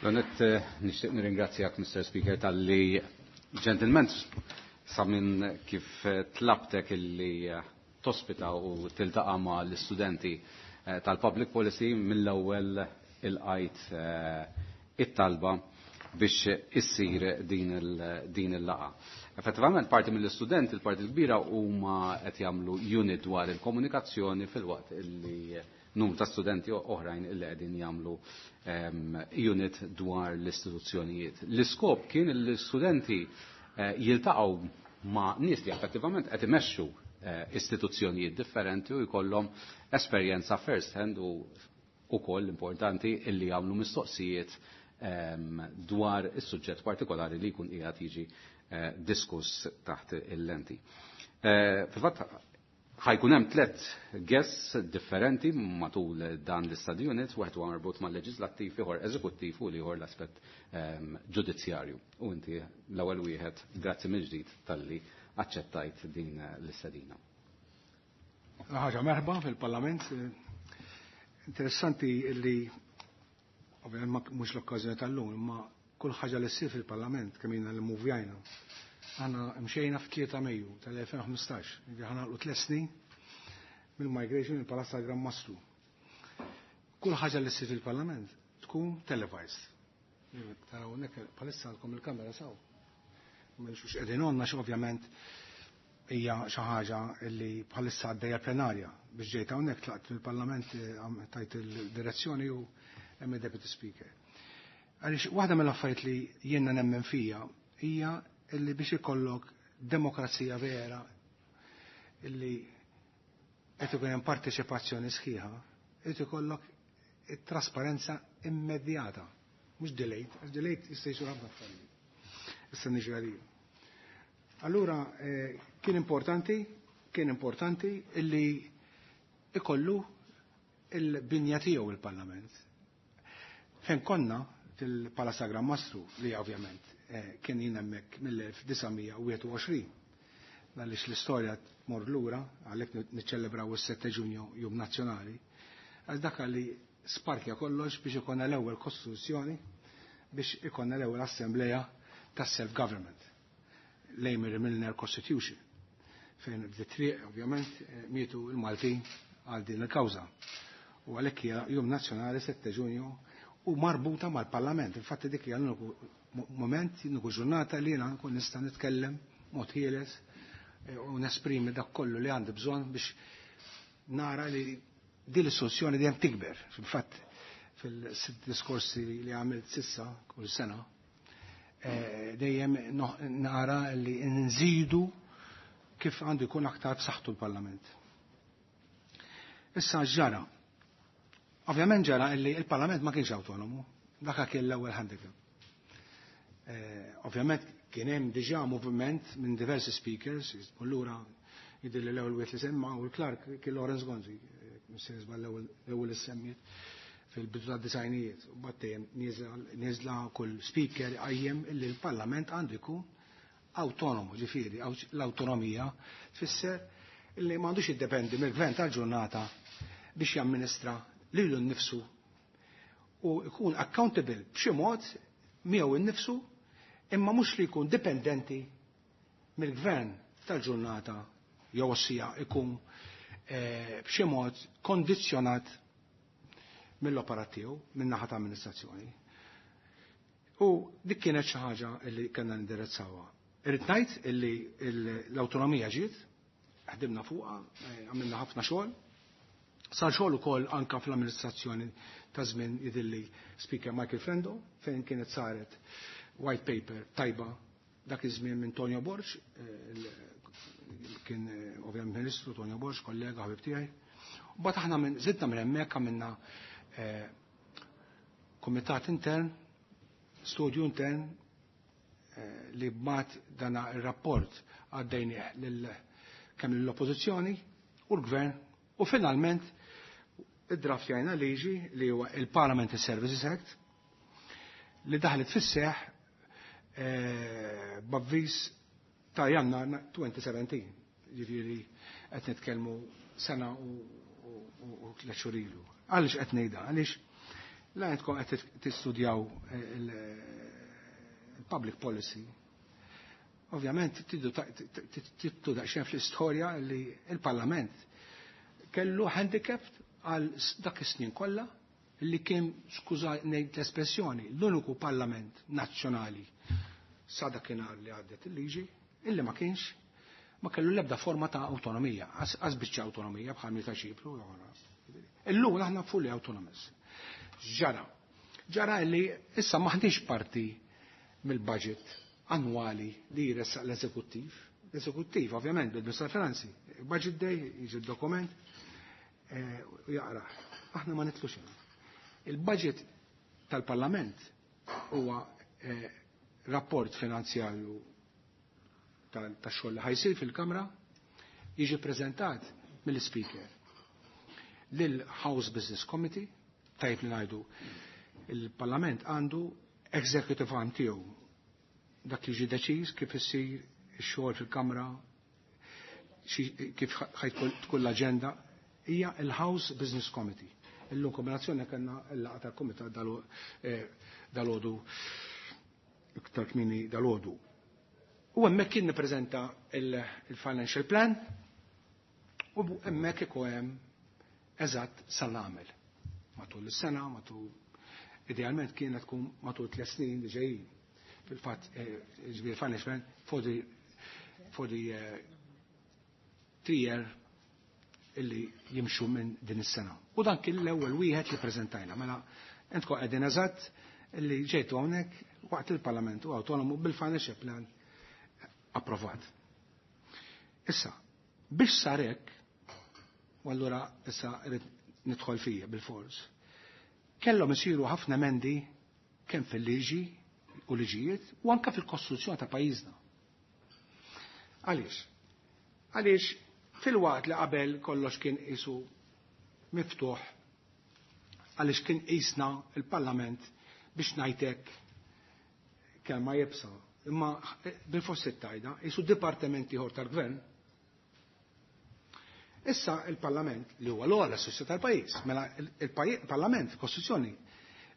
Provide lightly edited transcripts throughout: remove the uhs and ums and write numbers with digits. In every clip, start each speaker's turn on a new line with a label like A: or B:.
A: L-għonet nixtieq nirringrazzjak, Mr. Speaker, talli ġentilment sa minn kif tlabtek illi tospita u tiltaqa' ma' l-istudenti tal-Public Policy mill-ewwel ilqajt it-talba biex issir din il-laqgħa. Effettivament parti mill-istudenti, il-parti l-kbira huma qed jagħmlu unit dwar il-komunikazzjoni filwaqt illi numru ta' studenti oħrajn illi qegħdin jagħmlu unit dwar l-istituzzjonijiet. L-iskop kien li l-istudenti jiltaqgħu ma' nies li effettivament qed imexxu istituzzjonijiet differenti u jkollhom esperjenza first hand u ukoll importanti illi jagħmlu mistoqsijiet dwar is-suġġett partikolari li jkun qiegħed jiġi diskuss taħt il-lenti. Fil-fatt ħa jkun hemm tliet guests differenti matul dan l-study unit, wieħed huwa marbut mal-leġislattiv, ieħor eżekuttiv u ieħor l-aspett ġudizzjarju. U inti l-ewwel wieħed, grazzi mill-ġdid talli aċċettajt din l-istedina.
B: Ħaġa merħba fil-Parlament. Interessanti li ovvjament mhux l-okkażjoni tal-lum, imma kull ħaġa li ssir fil-Parlament kemm ilna li muvjajna. Aħna mxejna f'3 Mejju tal-2015, ħa nagħlqu 3 snin mill-migration il-Palazz tal-Gran Mastru. Kull ħaġa li ssir fil-Parlament tkun televised. Taraw nek palissa għandkom il-kamera saw. Mhux qegħdin għandna xi ovvjament hija xi ħaġa li bħalissa għaddejja plenarja biex ġejt hawnhekk tlaqt fil-Parlament, tajt il-direzzjoni u hemm il-Deputy Speaker. Għaliex waħda mill-affarijiet li jiena nemmen fija hija illi biex ikollok demokrazija vera illi qed ikun hemm parteċipazzjoni sħiħa, qed ikollok it-trasparenza immedjata, mhux delayed, għax delayed jista' jsir ħafna affarijiet. Issa niġi għalija. Allura kien importanti illi ikollu il-binja tiegħu il-Parlament. Fejn konna fil-Palazz Gran Mastru li ovvjament kien jien hemmhekk mill-1921. Għaliex l-istorja tmur lura, għalhekk niċċelebraw is-7 Ġunju Jum Nazzjonali, għax dak li sparkja kollox biex ikonna l-ewwel kostituzzjoni, biex ikonna l-ewwel assembleja tas-self-government, l-Amery Milner Constitution, fejn bdiet triq, ovvjament, mietu il-Maltin għal din il-kawża. U għalhekk hija Jum Nazzjonali 7 Ġunju u marbuta mal-Parlament. Infatti dik hija l-uniku moment, l-uniku ġurnata li jiena nkun nista' nitkellem mod ħieles u nesprimi dak kollu li għandi bżonn biex nara li din l-istituzzjoni dejjem tikber. Fil-fatt fil-sitt diskorsi li għamilt s'issa kull sena, dejjem nara li nżidu kif għandu jkun aktar b'saħħtu l-Parlament. Issa ġara. Ovvjament ġara illi il-Parlament ma kienx autonomu, dak kien l-ewwel handicap. Ovvjament kien hemm diġà moviment minn diversi speakers, u lura jidhirli l-ewwel wieħed li semma u l-Clark kien Lawrence Gonzi, missier l-ewwel li semmiet fil-bidu tad-disgħinijiet. U battejjem nieżla kull speaker qajjem illi l-Parlament għandu jkun autonomu, ġifieri, l-autonomija tfisser illi m'għandux jiddependi mill-gvern tal-ġurnata biex jamministra lilu nnifsu u jkun accountable b'xi mod miegħu nnifsu, imma mhux li jkun dipendenti mill-gvern tal-ġurnata jew ossija jkun b'xi mod kondizzjonat mill-operat tiegħu min-naħa ta' amministrazzjoni. U dik kienet xi ħaġa li kellna nindirizzawha. Irrid ngħid illi l-awtonomija ġiet, ħdimna fuqha, għamilna ħafna xogħol. Sar xogħol ukoll anka fl-amministrazzjoni ta' żmien jidhirli Speaker Michael Frendo, fejn kienet saret white paper tajba dak iż-żmien minn Tonio Borg, kien ovvjament Ministru Tonio Borg, kollega ħabib tiegħi. U mbagħad aħna minn żidna minn hemmhekk għamilna kumitat intern, studju intern li bmat dana il-rapport għaddejnieh lil kemm l-oppożizzjoni u l-gvern u finalment id-draftjajna liġi li huwa il-Parliamentary Services Act li daħlet fis-seħ b'avviż ta' Jannar 2017. Ġifieri qed nitkellmu sena u 3 xhur ilu. Għaliex qed ngħidha? Għaliex La jentkom qed tistudjaw il-public policy. Ovvjament tiddu daqsxejn fl-istorja li il-Parlament kellu handicapped għal dak is-snin kollha li kien, skuża ngħid l-espressjoni, l-uniku parlament nazzjonali sa dakinhar li għaddet il-liġi illi ma kienx ma kellu l-ebda forma ta' autonomija, għaz biċċa autonomija bħal ta' Ċipru. Illum aħna fully autonomous. Ġara. Ġara li issa maħniex parti mill-budget annwali li jressaq l-eżekuttiv. L-eżekuttiv, ovvjament, bil-Ministru tal-Finanzi. Budget day, jiġi dokument u jaqra. Aħna ma nitlux. Il-budget tal-Parlament huwa rapport finanzjarju tax-xogħol li ħajsir fil-Kamra, jiġi preżentat mill-Speaker lil House Business Committee. Tajb li ngħidu, il-Parlament għandu executive arm tiegħu, dak li ġi deċiż kif issir ix-xogħol fil-Kamra, kif tkun l-aġenda, hija il-House Business Committee. Illum kombinazzjoni kellna l-laqgħa tal-kumitat dal-għodu, iktar kmieni dal-għodu. U hemmhekk kien nippreżenta il-financial plan u hemmhekk ikun hemm eżatt sal nagħmel matul is-sena, matul idealment kienet tkun matul 3 snin li ġejjin. Fil-fatt, ġifieri financial plan for the 3 year illi jimxu minn din is-sena. U dan kien l-ewwel wieħed li preżentajna. Mela intkom qegħdin eżatt illi ġejtu hawnhekk waqt il-Parlament u autonomu bil-financial plan approvat. Issa, biex sarek, u allura issa rrid nidħol fija bil-fors, kellhom isiru ħafna emendi kemm fil-liġi u liġijiet u anke fil-kostituzzjoni ta' pajjiżna. Għaliex? Għaliex fil-waqt li qabel kollox kien isu miftuħ, għaliex kien isna il-Parlament, biex ngħidlek kelma iebsa, imma bil-forsi tajda, isu dipartimenti ieħor tal-gvern. Issa il-Parlament li huwa l-ogħla istituzzjoni tal-pajjiż, mela il-Parlament, Kostituzzjoni,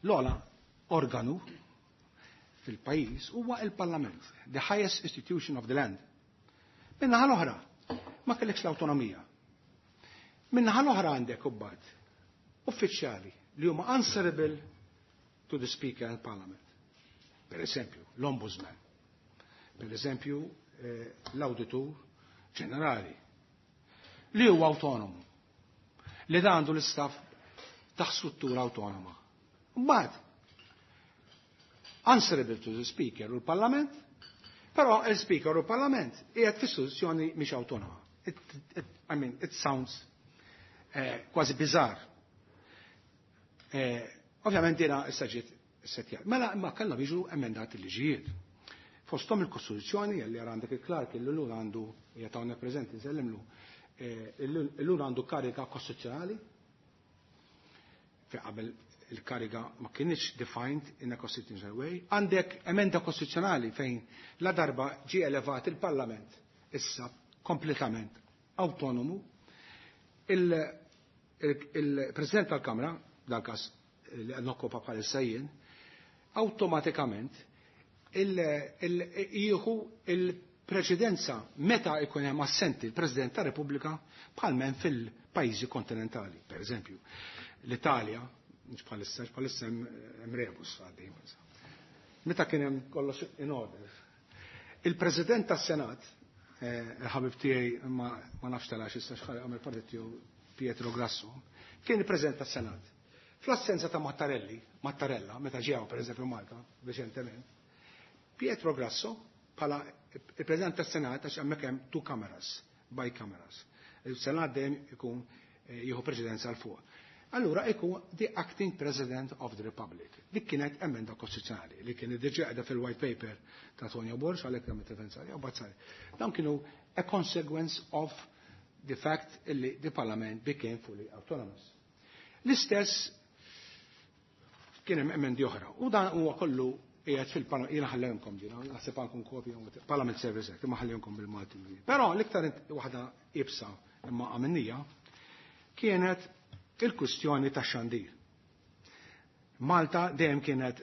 B: l-ogħla organu fil-pajjiż huwa il-Parlament, the highest institution of the land. Min-naħa l-oħra, ma kellekx l-autonomija. Min-naħa l-oħra għandek ubbad uffiċjali li huma answerable to the Speaker and Parliament. Per eżempju, l-Ombudsman. Per eżempju, l-Auditur Ġenerali li huwa autonomu, li da għandu l-istaff taħt struttura autonoma. Mbagħad answerable to the Speaker u l-Parlament, però il-Speaker u l-Parlament qiegħed f'istituzzjoni mhix autonoma. I mean, it sounds kważi bizzar. Ovvjament dina issa ġiet setjat. Mela imma kellna jiġu emendati liġijiet. Fostom il-Kostituzzjoni, li għandek il-Clark, il-lul għandu, jgħatawna prezenti, nsellimlu, illum għandu kariga kostituzzjonali, fi qabel il-kariga ma kienx defined in a constitutional way. Għandek emenda kostituzzjonali fejn la darba ġi elevat il-Parlament issa kompletament autonomu, il-President tal-Kamra, dal-kas li nokkupa bħalissa jien, automatikament jieħu il-preċedenza meta ikun hemm assenti il-President ta' Repubblika, bħal fil-pajjiżi kontinentali, per eżempju. L-Italja, mhux bħalissa, bħalissa hemm rebus għaddej. Meta kien hemm kollox in order. Il-President tas-Senat, il-ħabib tiegħi, ma nafx telax issa x'ħar għamel partit tiegħu, Pietro Grasso, kien il-President tas-Senat. Fl-assenza ta' Mattarelli, Mattarella, meta ġew per eżempju Malta, reċentement, Pietro Grasso, bħala il-President tas-Senat, għax hemmhekk hemm two cameras, bicameras. Il-Senat dejjem ikun jieħu presidenza l fuq. Allura ikun the acting President of the Republic. Dik kienet emenda kostituzzjonali li kienet diġà qiegħda fil-white paper ta' Tonio Borg, għalhekk hemm referenza u bazzari. Dawn kienu a consequence of the fact illi the Parliament became fully autonomous. L-istess kien hemm emendi oħra. U dan huwa kollu qiegħed fil-Parlament, jiena ħallejhomkom ġina, naħseb għandkom kopja Parliament Service Act, imma ħallejhomkom bil-Malti. Però l-iktar waħda iebsa imma għamennija kienet il-kwistjoni ta' xandir. Malta dejjem kienet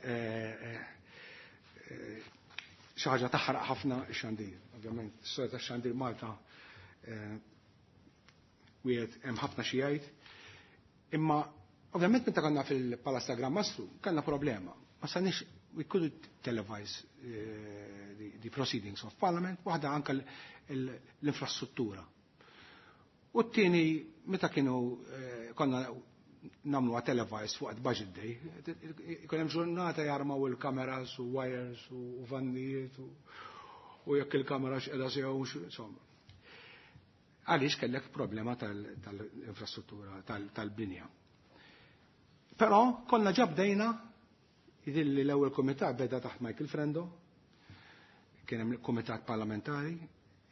B: xi ħaġa taħraq ħafna x-xandir. Ovvjament, is-storja tax-xandir Malta wieħed hemm ħafna xi jgħid. Imma ovvjament meta konna fil-Palazz ta' Gran Mastru kellna problema. Ma sanix we couldn't televise the proceedings of Parliament, waħda anka l-infrastruttura. U t-tieni, meta kienu konna nagħmlu televised fuq budget day, ikun hemm ġurnata jarmaw il-kameras u wires u vannijiet u jekk il-kamera x'qiegħda sew, insomma. Għaliex kellek problema tal-infrastruttura, tal-binja. Però konna ġabdejna jidilli l-ewwel kumitat beda taħt Michael Frendo, kien hemm kumitat parlamentari,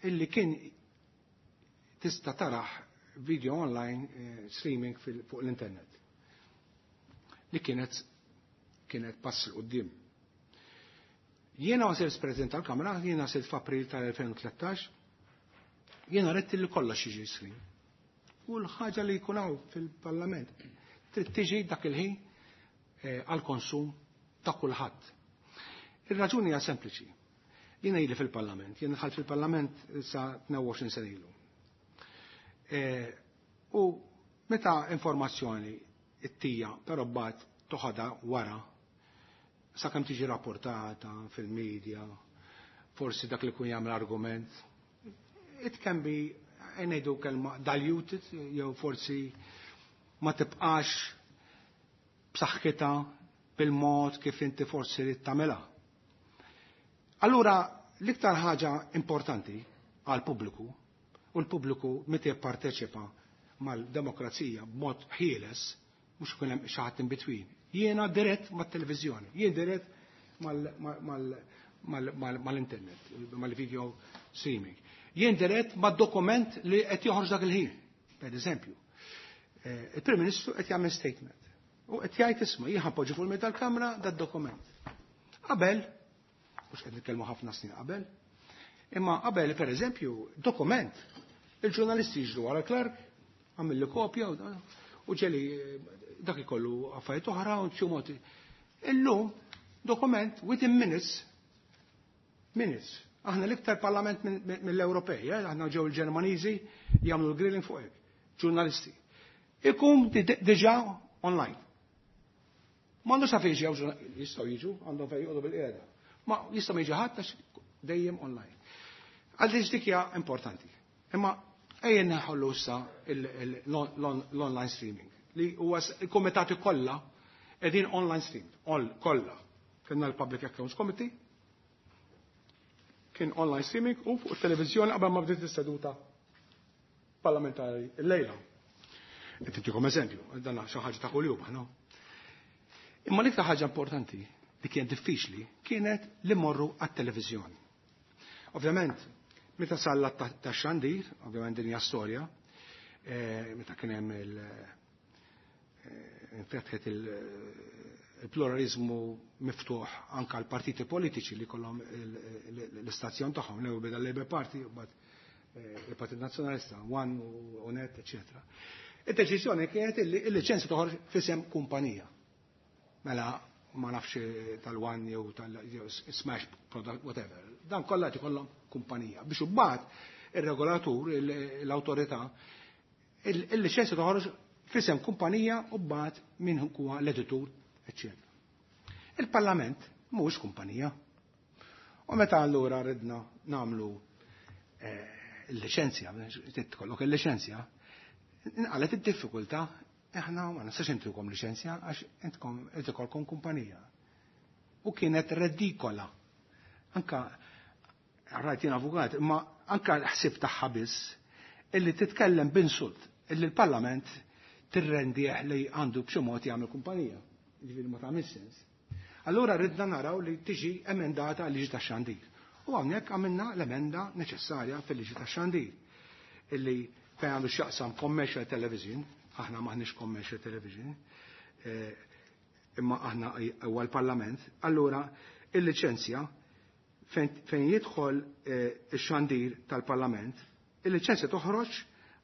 B: illi kien tista' taraħ video online streaming fuq l-internet. Li kienet pass 'l quddiem. Jiena ma sirt President tal-Kamra, jiena sirt f'April tal-2013, jiena ridt li kollox jiġi stream. U l-ħaġa li jkun hawn fil-Parlament trid tiġi dak il-ħin għal-konsum ta' kulħadd. Ir-raġuni hija sempliċi. Jiena ili fil-Parlament, jiena dħalt fil-Parlament sa 22 sena ilu. U meta informazzjoni it-tija, però mbagħad toħodha wara, sakemm tiġi rapportata fil-medja, forsi dak li kun jagħmel argument, it can be, ngħidu kelma, diluted, jew forsi ma tibqax b'saħħitha bil-mod kif inti forsi rid tagħmilha. Allura, l-iktar ħaġa importanti għal pubbliku, u l-pubbliku meta jipparteċipa mal-demokrazija b'mod ħieles, mhux ikun hemm xi ħadd in between. Jiena dirett mat-televiżjoni, jien dirett mal-internet, mal-video streaming. Jien dirett mad-dokument li qed joħroġ dak il-ħin, per eżempju. Il-Prim Ministru qed jagħmel statement. U qed jgħid, "Isma', jien ħa npoġġi fuq il tal-Kamra dad-dokument." Qabel, mhux qed nitkellmu ħafna snin qabel, imma qabel, per eżempju, dokument, il-ġurnalisti jiġru wara clerk, għamilli kopja u ġeli dak ikollu affarijiet oħra u xi mod. Illum dokument within minutes, minutes. Aħna l-iktar parlament mill-Ewropej, aħna ġew il-Ġermaniżi jagħmlu l-grilling fuq hekk, ġurnalisti. Ikun diġà online. M'għandux sa fejn ġew, jistgħu jiġu, għandhom fejn joqogħdu bil-qiegħda. Ma jista' ma jiġi ħadd għax dejjem online. Għaliex dik hija importanti. Imma ejja neħollu issa l-online streaming li huwa il-komitati kollha qegħdin online stream, all kollha. Kellna l-Public Accounts Committee, kien online streaming u fuq it-televiżjoni qabel ma bdiet is-seduta parlamentari l-lejla. Qed intikom eżempju, dan xi ħaġa ta' kuljum aħna. Imma l-iktar ħaġa importanti li kien diffiċli kienet li morru għat-televiżjoni. Ovvjament, meta salla ta' xandir, ovvjament din hija storja, meta kien hemm infetħet il-pluralizmu miftuħ anka l-partiti politiċi li kollhom l-istazzjon tagħhom, l beda l-Labour Party, u mbagħad il-Partit Nazzjonalista, One u Net, eccetera. Id-deċiżjoni kienet illi il-liċenzja toħroġ f'isem kumpanija. Mela ma nafx tal-One jew tal-Smash Product, whatever. Dan kollha ikollhom kumpanija. Biex imbagħad ir-regolatur, l-awtorità, il-liċenzja toħroġ f'isem kumpanija u mbagħad min huwa l-editur, eccetera. Il-Parlament mhuwiex kumpanija. U meta allura ridna nagħmlu il-liċenzja, tkollok il-liċenzja, nqalet id-diffikultà, aħna ma nistax intukom liċenzja għax intkom ikolkom kumpanija. U kienet redikola. Anka rajt jien avukat, imma anka l-ħsib tagħha biss illi titkellem b'insult illi l-Parlament tirrendih li għandu b'xi mod jagħmel kumpanija. Ġifieri ma tagħmel sens. Allura ridna naraw li tiġi emendata l-liġi tax-xandir. U hawnhekk għamilna l-emenda neċessarja fil-liġi tax-xandir. Illi fejn għandu x'jaqsam commercial television, aħna maħniex commercial television, imma aħna huwa l-Parlament, allura il-liċenzja fejn jidħol ix-xandir tal-Parlament, il-liċenzja toħroġ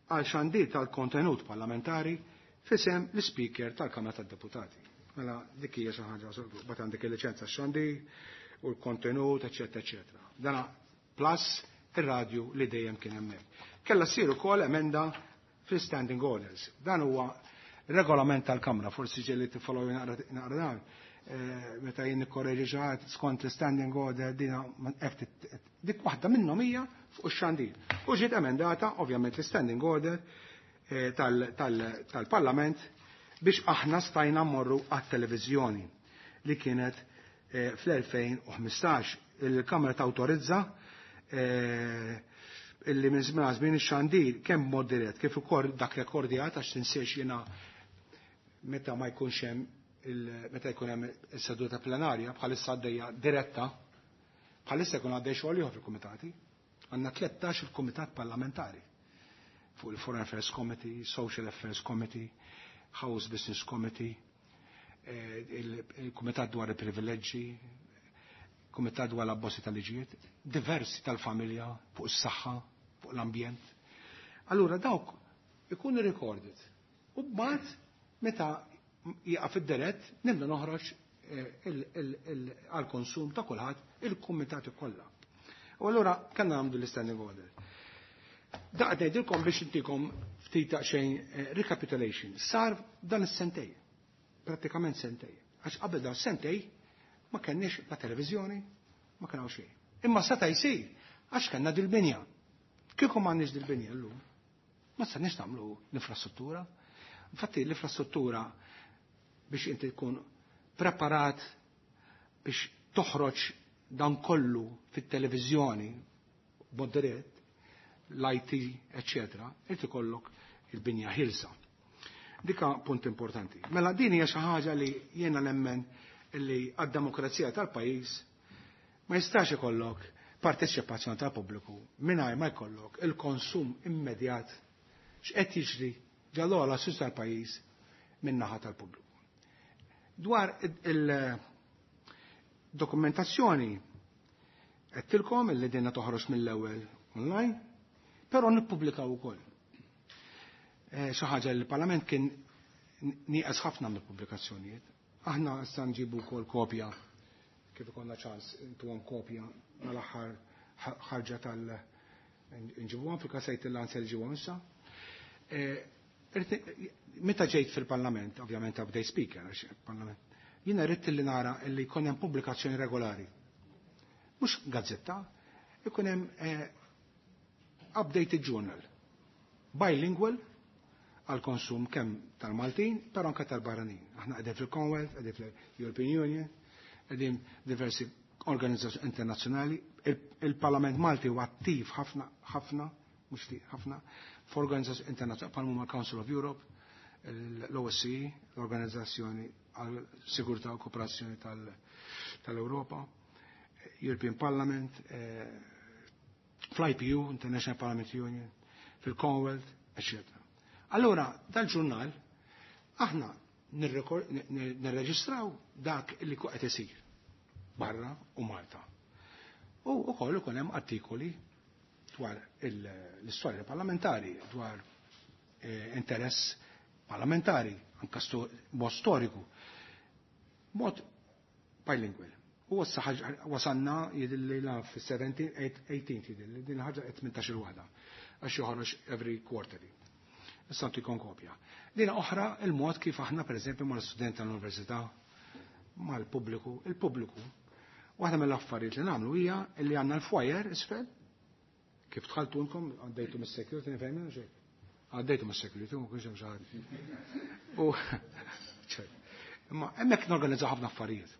B: għal xandir tal-kontenut parlamentari f'isem l-Speaker tal-Kamra tad-Deputati. Mela dik hija xi ħaġa, bat għandek il-liċenza xandir u l-kontenut, eċetera, eċetera. Dana plus ir-radju li dejjem kien hemmhekk. Kella ssir ukoll emenda fil-standing orders. Dan huwa regolament tal-Kamra, forsi ġieli tiffollow naqra dan. Meta jien nikkorreġi xi ħadd skont l-standing order dina dik waħda minnhom hija fuq ix-xandir. U ġiet emendata ovvjament l-standing order tal-Parlament biex aħna stajna mmorru għat-televiżjoni li kienet fl-2015. Il-Kamra tawtorizza illi minn żmien żmien ix-xandir kemm mod dirett kif ukoll dak rekordjat, għax tinsiex jiena meta ma jkunx hemm, meta jkun hemm is-seduta plenarja bħalissa għaddejja diretta, bħalissa jkun għaddej xogħol ieħor fil-kumitati. Għandna 13 il-kumitat parlamentari fuq il-Foreign Affairs Committee, Social Affairs Committee, House Business Committee, il-Kumitat dwar il-privileġġi, Kumitat dwar l-abbozzi tal-liġijiet, diversi tal-familja, fuq is-saħħa, fuq l-ambjent. Allura dawk ikunu recorded. U mbagħad meta jieqaf id-dirett nibda noħroġ għal-konsum ta' kulħadd il-kumitati kollha. U allura kellna nagħmlu l-standing order. Daqt ngħidilkom biex intikom ftit xejn recapitulation. Sar dan is-sentej, prattikament sentej. Għax qabel dan sentej ma kenniex la televiżjoni, ma kien hawn xejn. Imma seta' jsir għax kellna dil-binja. Kieku m'għandniex dil-binja llum, ma stajniex nagħmlu l-infrastruttura. Infatti l-infrastruttura biex inti tkun preparat biex toħroġ dan kollu fit-televiżjoni b'mod dirett, l-IT, eccetera, irid ikollok il-binja ħilsa. Dika punt importanti. Mela din hija xi ħaġa li jiena nemmen li għad-demokrazija tal-pajjiż ma jistax ikollok parteċipazzjoni tal-pubbliku mingħajr ma jkollok il-konsum immedjat x'qed jiġri ġal-ogħla sus tal-pajjiż min-naħa tal-pubbliku. Dwar il-dokumentazzjoni għedtilkom illi dinna toħroġ mill-ewwel online, però nippubblikaw ukoll. Xi ħaġa li l-Parlament kien nieqes ħafna mill-pubblikazzjonijiet. Aħna issa nġibu wkoll kopja kif ikollna ċans intuhom kopja mal-aħħar ħarġa tal nġibuhom fil-kasejt il-lanza li ġibuhom issa. Meta ġejt fil-Parlament, ovvjament update speaker, għax il-Parlament, jiena rrid li nara li jkun hemm pubblikazzjoni regolari. Mhux gazzetta, ikun hemm updated journal, bilingual, għal konsum kemm tal-Maltin, però anke tal-barranin. Aħna qegħdin fil-Commonwealth, qegħdin fil-European Union, qegħdin diversi organizzazzjoni internazzjonali. Il-Parlament Malti huwa attiv ħafna, ħafna, mhux ftit ħafna, f'organizzazzjoni internazzjonali bħal huma Council of Europe, l-OSCE, l-Organizzazzjoni għal Sigurtà u Kooperazzjoni tal-Europa, European Parliament, fl-IPU, International Parliament Union, fil-Commonwealth, eccetera. Allora, dal-ġurnal, aħna nirreġistraw dak li qed isir barra u Malta. U wkoll ikun hemm artikoli dwar l-istorja parlamentari, dwar interess parlamentari, anka mod storiku, mod bilingual. U wasanna jidilli la fi-17, 18 jidilli, din ħaġa 18 waħda, għax joħroġ every quarterly. Issa ntikom kopja. Dina oħra il-mod kif aħna per eżempju mal-student tal-università, mal-pubbliku, il-pubbliku. Waħda mill-affarijiet li nagħmlu hija li għandna l-foyer isfel, kif dħaltunkom għaddejtu mis-security, nifhem xejn. Għaddejtu mis-security, ma kienx hemm xi ħadd. U imma hemmhekk norganizzaw ħafna affarijiet.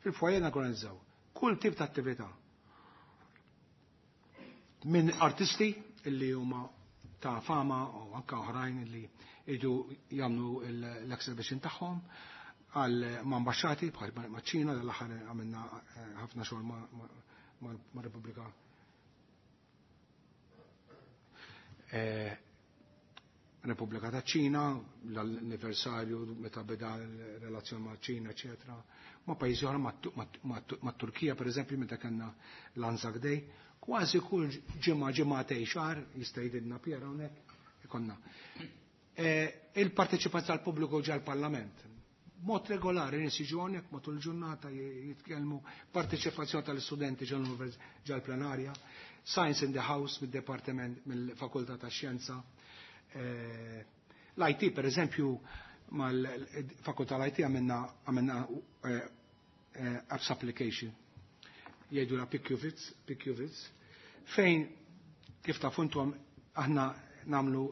B: Fil-foyer norganizzaw kull tip ta' attività. Minn artisti illi huma ta' fama u anka oħrajn li jridu jagħmlu l-exhibition tagħhom, għal ma' ambasċati bħal ma' Ċina, dal-aħħar għamilna ħafna xogħol ma' Repubblika ta' Ċina, l-anniversarju meta beda l-relazzjoni ma' Ċina, eccetera. Ma' pajjiżi oħra, ma' Turkija, per eżempju, meta kellna l-Anzac Day, kważi kull ġimgħa, ġimgħatej, xahar, jista' jgħidilna Pier hawnhekk, ikonna. Il-parteċipazzjoni tal-pubbliku ġa l-Parlament. Mod regolari nies jiġu hawnhekk matul il-ġurnata jitkellmu, parteċipazzjoni tal-istudenti ġol-plenarja, Science in the House mid-Departiment mill-Fakultà tax-Xjenza. L-IT per eżempju mal-Fakultà l-IT għamilna apps application jgħidu la PQVITS, fejn kif tafu intom aħna namlu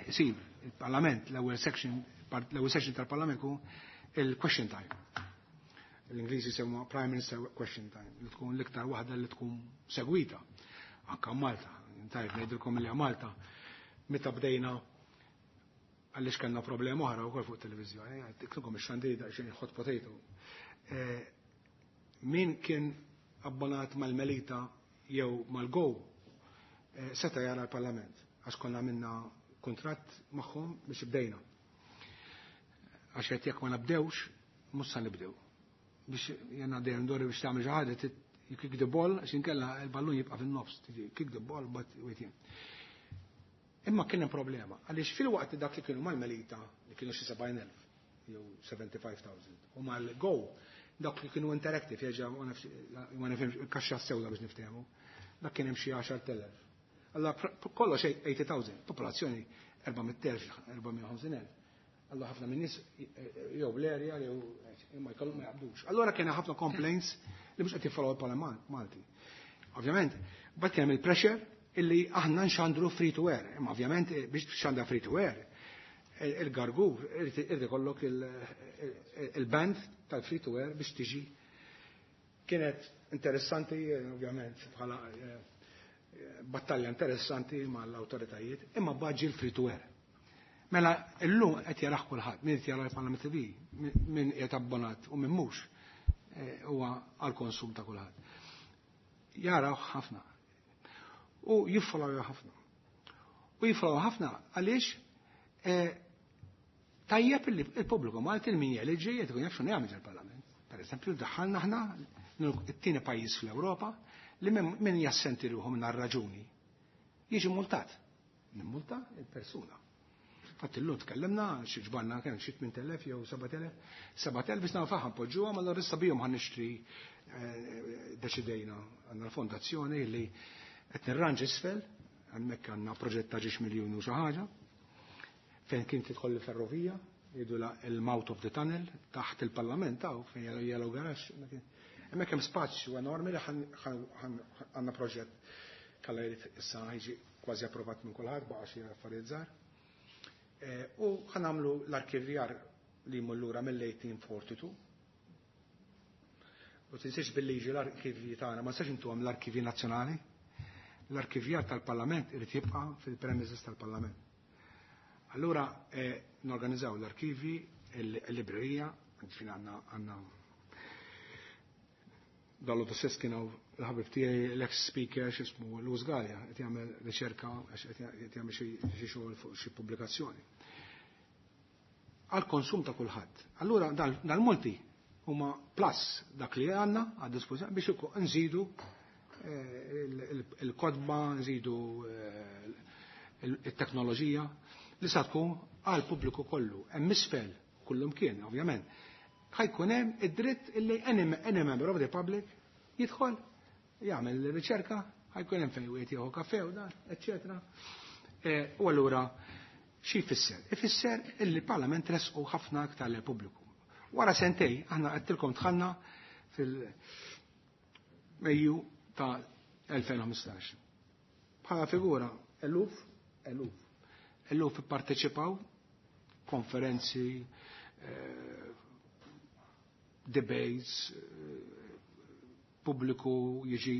B: sib il-Parlament l-ewwel section tal-Parlament hu il-question time. L-Ingliżi semmu Prime Minister Question Time, li tkun l-iktar waħda li tkun segwita. Anka Malta, tajb ngħidilkom li Malta meta bdejna, għaliex kellna problema oħra wkoll fuq televiżjoni, għedtilkom ix-xandir daqsxejn hot potato. Min kien abbonat mal-Melita jew mal-Go seta jara l-Parlament, għax konna minna kontratt magħhom biex bdejna. Għax qed jekk ma nabdewx, mhux sa nibdew. Biex jena dejjem dori biex tagħmel xi ħaġa, you kick the ball, għax inkella il-ballun jibqa' fin-nofs, kick the ball but waiting. Imma kien hemm problema, għaliex fil-waqt dak li kienu mal-Melita, li kienu xi 70,000 jew 75,000, u mal-Go, dak li kienu interactive, jerġa' ma nifhimx il-kaxxa sewda biex niftehmu, dak kien hemm xi 10,000. Alla kollox 80,000, popolazzjoni 400,000, 450,000. Alla ħafna minn nies jew bl-area jew imma jkollhom ma jaqbdux. Allora kien ħafna complaints li mhux qed jiffollow il-Parlament Malti. Ovvjament, bad kien hemm il-pressure illi aħna nxandru free to air. Imma ovvjament biex txandra free to air, il-gargur irid ikollok il-band tal-free to air biex tiġi. Kienet interessanti, ovvjament, bħala battalja interessanti mal-autoritajiet, imma baġi l-free to air. Mela, illum qed jarah kulħadd, min qed jara l-Parlament TV, min qed abbonat u min mhux, huwa għal konsum ta' kulħadd. Jaraw ħafna. U jiffollow ħafna. U jiffollow ħafna għaliex tajjeb li il-pubbliku Malti il-min jeliġi qed ikun jaf x'inhu jagħmel il-Parlament. Per eżempju, daħħalna aħna it-tieni pajjiż fl-Ewropa li min jassenti ruħu minn raġuni jiġi multat. Nimmulta il-persuna. Fatt illum tkellimna, xi ġbarna kemm xi 8000 jew 7000, 7000 biex nafu ħa npoġġuha, ma allura issa bihom ħa nixtri, deċidejna għandna l-fondazzjoni li qed nirranġ isfel, hemmhekk għandna proġett ta' ġiex miljun u xi ħaġa, fejn kien tidħol il-ferrovija, jgħidu la il-mouth of the tunnel, taħt il-Parlament taw, fejn yellow garage. Hemmhekk hemm spazju enormi li għandna proġett kalla jrid issa ħiġi kważi approvat minn kulħadd, baqa' xi affarijiet żgħar. U ħa nagħmlu l-arkivjar li jmur lura mill-1842. U tinsiex bil-liġi l-arkivji tagħna ma nistax intuhom l-arkivji nazzjonali. L-arkivjar tal-Parlament irid jibqa' fil-premises tal-Parlament. Allura norganizzaw l-arkivi, il-librerija, fin għandna dallu ta' stess kienu l-ħabib tiegħi l-ex speaker x'ismu Louis Galea qed jagħmel riċerka għax qed jagħmel xi xogħol fuq xi pubblikazzjoni. Għal konsum ta' kulħadd. Allura dal-multi huma plus dak li għandna għad dispożizzjoni biex nżidu il-kotba, nżidu il-teknoloġija li sa tkun għal pubbliku kollu. Hemm isfel kullum kien, ovvjament. Ħa jkun hemm id-dritt illi any member of the public jidħol, jagħmel riċerka, ħa jkun hemm fejn wieħed jieħu kafe u dan, eċċetera. U allura xi jfisser? Ifisser illi l-Parlament resqu ħafna aktar lill pubbliku. Wara sentej, aħna għedtilkom dħalna fil-Mejju ta' 2015. Bħala figura, eluf, eluf, eluf ipparteċipaw konferenzi, debates, pubbliku jiġi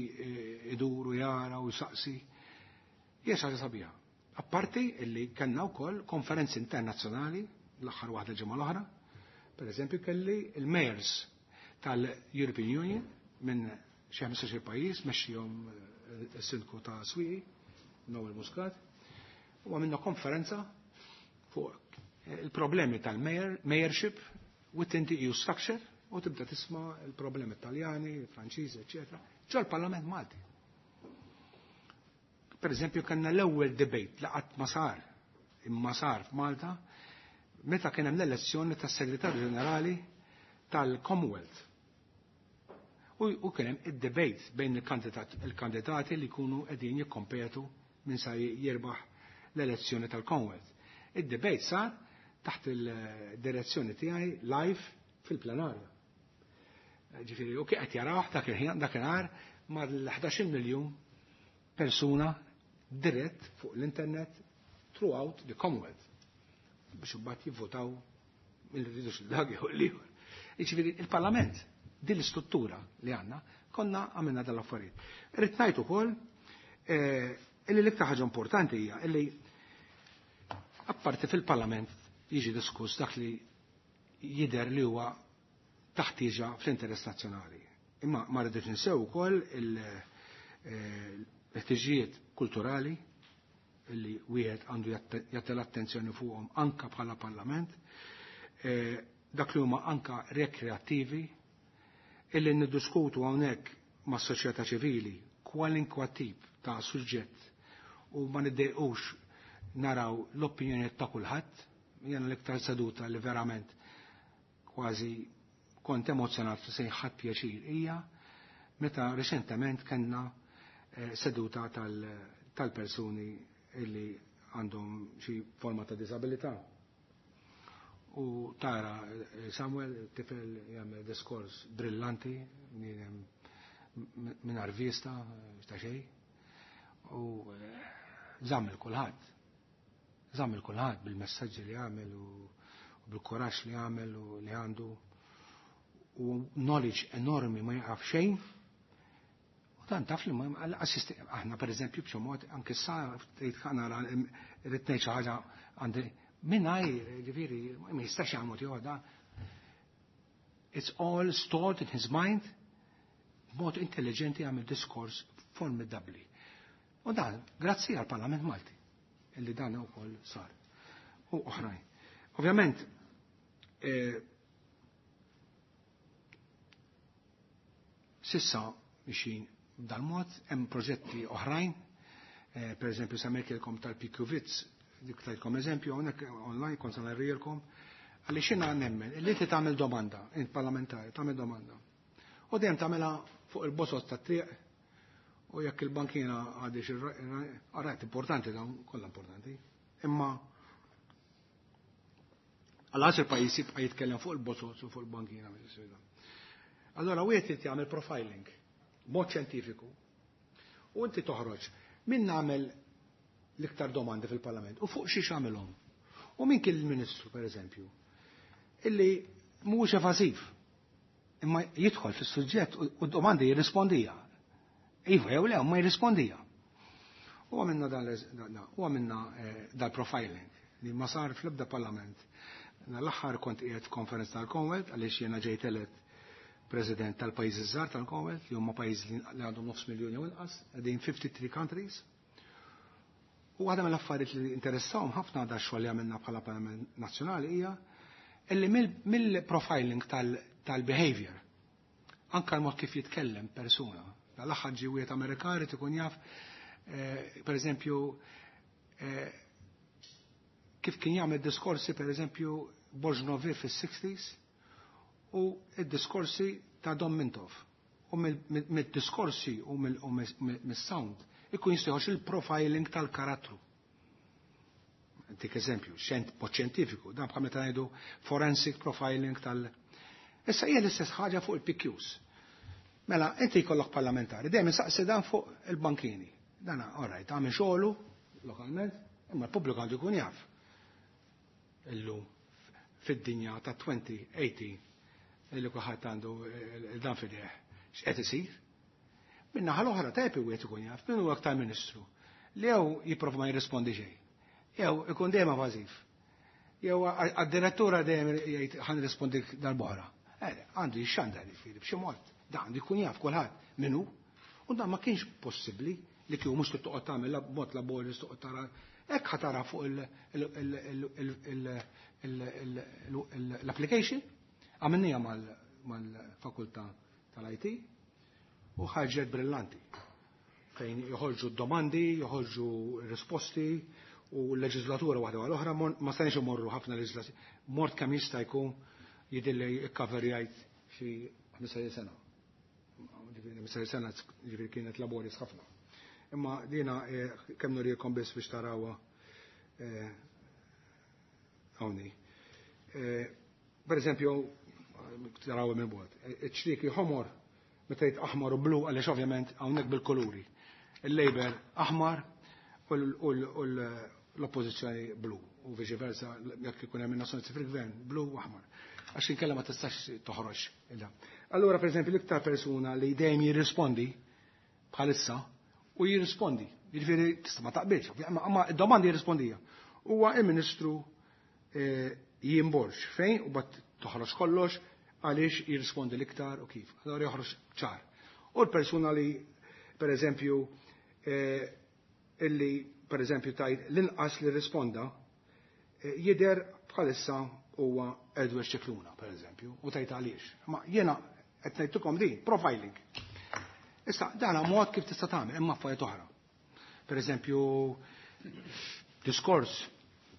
B: idur u jara u jsaqsi. Hija xi ħaġa sabiħa. Apparti illi kellna wkoll konferenzi internazzjonali l-aħħar waħda ġimgħa l-oħra. Per eżempju kelli il-mayors tal-European Union minn xi 15 pajjiż mexxihom is-sindku ta' Swieqi, Noel Muscat, u għamilna konferenza fuq il-problemi tal-mayorship within the EU structure u tibda tisma' il-problemi Taljani, Franċiżi, eccetera, ġo l-Parlament Malti. Per eżempju, kellna l-ewwel debate li qatt ma sar, imma sar f'Malta. Meta kien hemm l-elezzjoni tas-Segretarju Ġenerali tal-Commonwealth. U kien hemm id-debate bejn il-kandidati li jkunu qegħdin jikkompetu minn sa jirbaħ l-elezzjoni tal-Commonwealth. Id-debate sar taħt il-direzzjoni tiegħi live fil-plenarja. Ġifieri, u kien qed jaraw dak il-ħin dakinhar mal-11 miljun persuna dirett fuq l-internet throughout the Commonwealth biex imbagħad jivvotaw mill rridux dak jew l-ieħor. Jiġifieri il-Parlament din l-istruttura li għandna konna għamilna dal-affarijiet. Irrid ngħid ukoll illi l-iktar ħaġa importanti hija illi apparti fil-Parlament jiġi diskuss dak li jidher li huwa taħtieġa fl-interess nazzjonali. Imma ma rridux ninsew ukoll il-ħtiġijiet kulturali illi wieħed għandu jagħti l-attenzjoni fuqhom anka bħala Parlament, dak li huma anka rekreattivi, illi niddiskutu hawnhekk mas-soċjetà ċivili kwalinkwa tip ta' suġġett u ma niddejqux naraw l-opinjoni ta' kulħadd. Jiena l-iktar seduta li verament kważi kont emozjonat se ħadd pjaċir hija meta reċentement kellna seduta tal-persuni illi għandhom xi forma ta' disabilità. U tara Samuel, tifel jagħmel diskors brillanti minn vista ta' xejn. U żamm il kulħadd. Żamm il kulħadd bil-messaġġi li għamel u bil-kuraġġ li għamel u li għandu u knowledge enormi ma jaqaf xejn. U dan taf li ma assisti aħna per eżempju b'xi mod anke sa tgħid nara rrid ngħid xi ħaġa għandi mingħajr ġifieri ma jistax jagħmel joħda. It's all stored in his mind b'mod intelligenti għamel diskors formidabli. U dan, grazzi għal Parlament Malti, illi dan ukoll sar. U oħrajn. Ovvjament, sissa mixin b'dal-mod, hemm proġetti oħrajn, per eżempju semmejtilkom tal-PQ-Vits, dik tajtkom eżempju, hawnhekk online kont se narrilkom, għaliex jiena nemmen, illi inti tagħmel domanda, int parlamentari, tagħmel domanda. U dejjem tagħmilha fuq il-bosot tat-triq, u jekk il-bankina għadix il-rajt importanti dawn, kollha importanti, imma għal il-pajjiż jibqa' jitkellem fuq il-bosot u fuq il-bankina. Allora wieħed irid jagħmel profiling mod xjentifiku u inti toħroġ min nagħmel l-iktar domandi fil-Parlament u fuq xiex għamilhom. U min kien il-Ministru pereżempju illi mhuwiex evażiv imma jidħol fis-suġġett u d-domandi jirrispondija. Iva jew le, ma jirrispondija. U għamilna dan u għamilna dal-profiling li ma sar fl-ebda parlament. L-aħħar kont qiegħed f'konferenza tal-Commonwealth għaliex jiena ġejt elett president tal-pajjiżi żgħar tal-Commonwealth li huma pajjiżi li għandhom nofs miljun jew inqas, qegħdin 53 countries. U waħda mill-affarijiet li interessawhom ħafna da xogħol li għamilna bħala Parlament Nazzjonali hija illi mill-profiling tal-behavior, anka l-mod kif jitkellem persuna. Dal-aħħar ġie wieħed Amerikan irid ikun jaf, per eżempju, kif kien jagħmel diskorsi per eżempju Borżnovi fis-60s u d-diskorsi ta' Dom Mintoff. U mid-diskorsi u mis-sound ikun jistgħux il-profiling tal-karattru. Dik eżempju, mod xjentifiku, dan bħal meta ngħidu forensic profiling tal- Issa hija l-istess ħaġa fuq il-PQs. Mela, inti jkollok parlamentari, dejjem insaqsi dan fuq il-bankini. Dan, all right, għamil xogħlu lokalment, imma l-pubbliku għandu jkun jaf. Illum fid-dinja ta' 2018 illi kulħadd għandu dan fideh. X'qed isir? Min-naħa l-oħra tajb wieħed ikun jaf, min huwa aktar ministru li jew jipprova ma jirrispondi xejn. Jew ikun dejjem evażiv. Jew għad-direttura dejjem jgħid ħa nirrispondi dal-boħra. Għandu jixxandar jiġifieri b'xi mod. Dan għandu jkun jaf kulħadd min hu. U dan ma kienx possibbli li kieku mhux toqgħod tagħmel mod laborjus toqgħod tara. Hekk ħa tara fuq l-application. Għamilnija mal-fakultà tal-IT u ħarġet brillanti. Fejn joħorġu domandi, joħorġu risposti U l-leġislatura waħda għal oħra ma stajniex imorru ħafna leġislazzjoni. Mort kemm jista' jkun jidilli ikkaverjajt xi 15 sena. Ġifieri 15 sena ġifieri kienet laboris ħafna. Imma dina kemm nurikom biss biex tarawha hawnhi. Per eżempju, tarawha minn bogħod. Iċ-ċrieki ħomor meta jgħid aħmar u blu għaliex ovvjament hawnhekk bil-kuluri. Il-Labour aħmar u l-oppożizzjoni blu u viċi versa jekk ikun hemm in-nazzjonalisti fil-gvern blu u aħmar. Għax inkella ma tistax toħroġ. Allura pereżempju l-iktar persuna li dejjem jirrispondi bħalissa u jirrispondi, jiġifieri tista' ma taqbilx, imma id-domandi jirrispondija. Huwa il-Ministru Ian Borg fejn u bat toħroġ kollox għaliex jirrispondi l-iktar u kif. Allora joħroġ ċar. U l-persuna li per eżempju illi per eżempju tajt l-inqas li risponda jidher bħalissa huwa Edward Scicluna, per eżempju, u tajt għaliex. Ma jiena qed ngħidilkom din, profiling. Issa, dan mod kif tista' tagħmel, imma affarijiet oħra. Per eżempju, diskors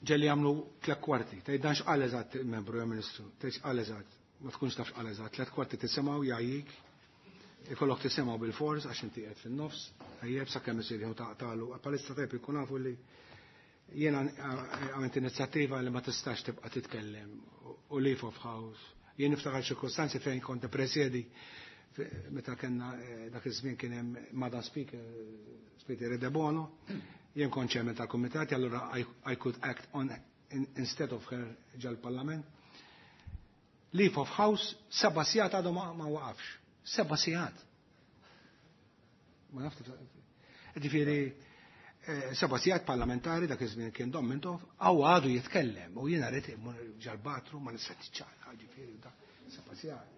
B: ġelli jagħmlu 3/4, tgħid dan x'qal eżatt il-membru jew ministru, tgħid x'qal eżatt, ma tkunx taf x'qal eżatt, 3/4 tisimgħu jgħajjik, ikollok tisimgħu bil-fors għax inti qed fin-nofs, tajjeb sakemm isir jew taqtalu. Palissa tajjeb ikun nafu li jiena għamilt inizjattiva li ma tistax tibqa' titkellem u leave of house. Jien niftakar ċirkostanzi fejn kont presjedi meta kellna dak iż-żmien kien hemm Madam Speaker, Speaker Debono, jien kont chairman tal-kumitat, allura I could act on instead of her ġal-parlament. Leave of house, 7 sigħat għadu ma waqafx. 7 sigħat. Ma nafx. Ġifieri, 7 sigħat parlamentari dak iż-żmien kien Dom Mintoff, għaw għadu jitkellem u jiena rrid immur ġal-batru ma nistax tiċċaqla, ġifieri da 7 sigħat.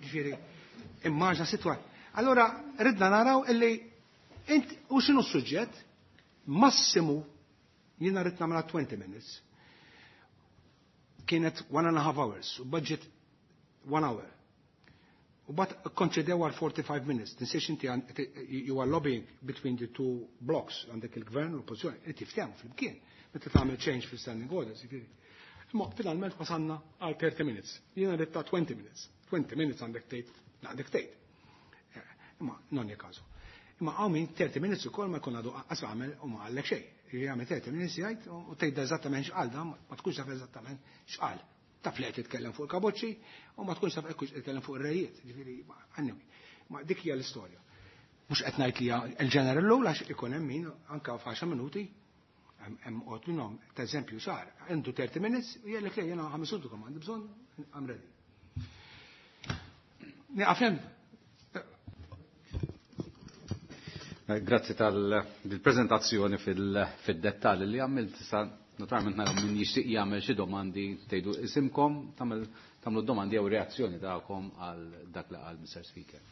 B: Ġifieri, immaġna sitwa. Allora ridna naraw illi int u x'inhu s-suġġett? Massimu jiena rrid nagħmilha 20 minutes. Kienet 1.5 hours u budget 1 hour. U bat konċedew għal 45 minutes. Tinsiex inti you are lobbying between the two blocks, għandek il-gvern u l-oppozizjoni, inti ftehmu flimkien, meta tagħmel change fil-standing orders, jiġifieri. Imma finalment wasalna għal 30 minutes. Jiena rrid ta' 20 minutes. 20 minutes għandek tgħid, għandek tgħid. Imma non è caso. Imma hawn min 30 minutes ukoll ma jkun għadu qas għamel u ma qallek xejn. Jagħmel 30 minutes jgħid u tgħid eżattament x'qal da, ma tkunx taf eżattament x'qal. Taf li qed titkellem fuq il-kaboċċi u ma tkunx taf hekk titkellem fuq ir-rejiet, ġifieri, anyway. Ma dik hija l-istorja. Mhux qed ngħid li hija l-general law għax ikun hemm min anke f'għaxar minuti hemm qgħod minnhom, ta' eżempju sar, għandu 30 minutes u jgħidlek le jiena ħames minuti kemm għandi bżonn, I'm ready. Nieqaf hemm.
A: Grazzi tal-prezentazzjoni fil-dettall li għamilt. Sa naturalment naraw min jixtieq jagħmel xi domandi, tgħidu isimkom, tagħmlu domandi jew reazzjoni tagħkom għal dak li qal Mr. Speaker.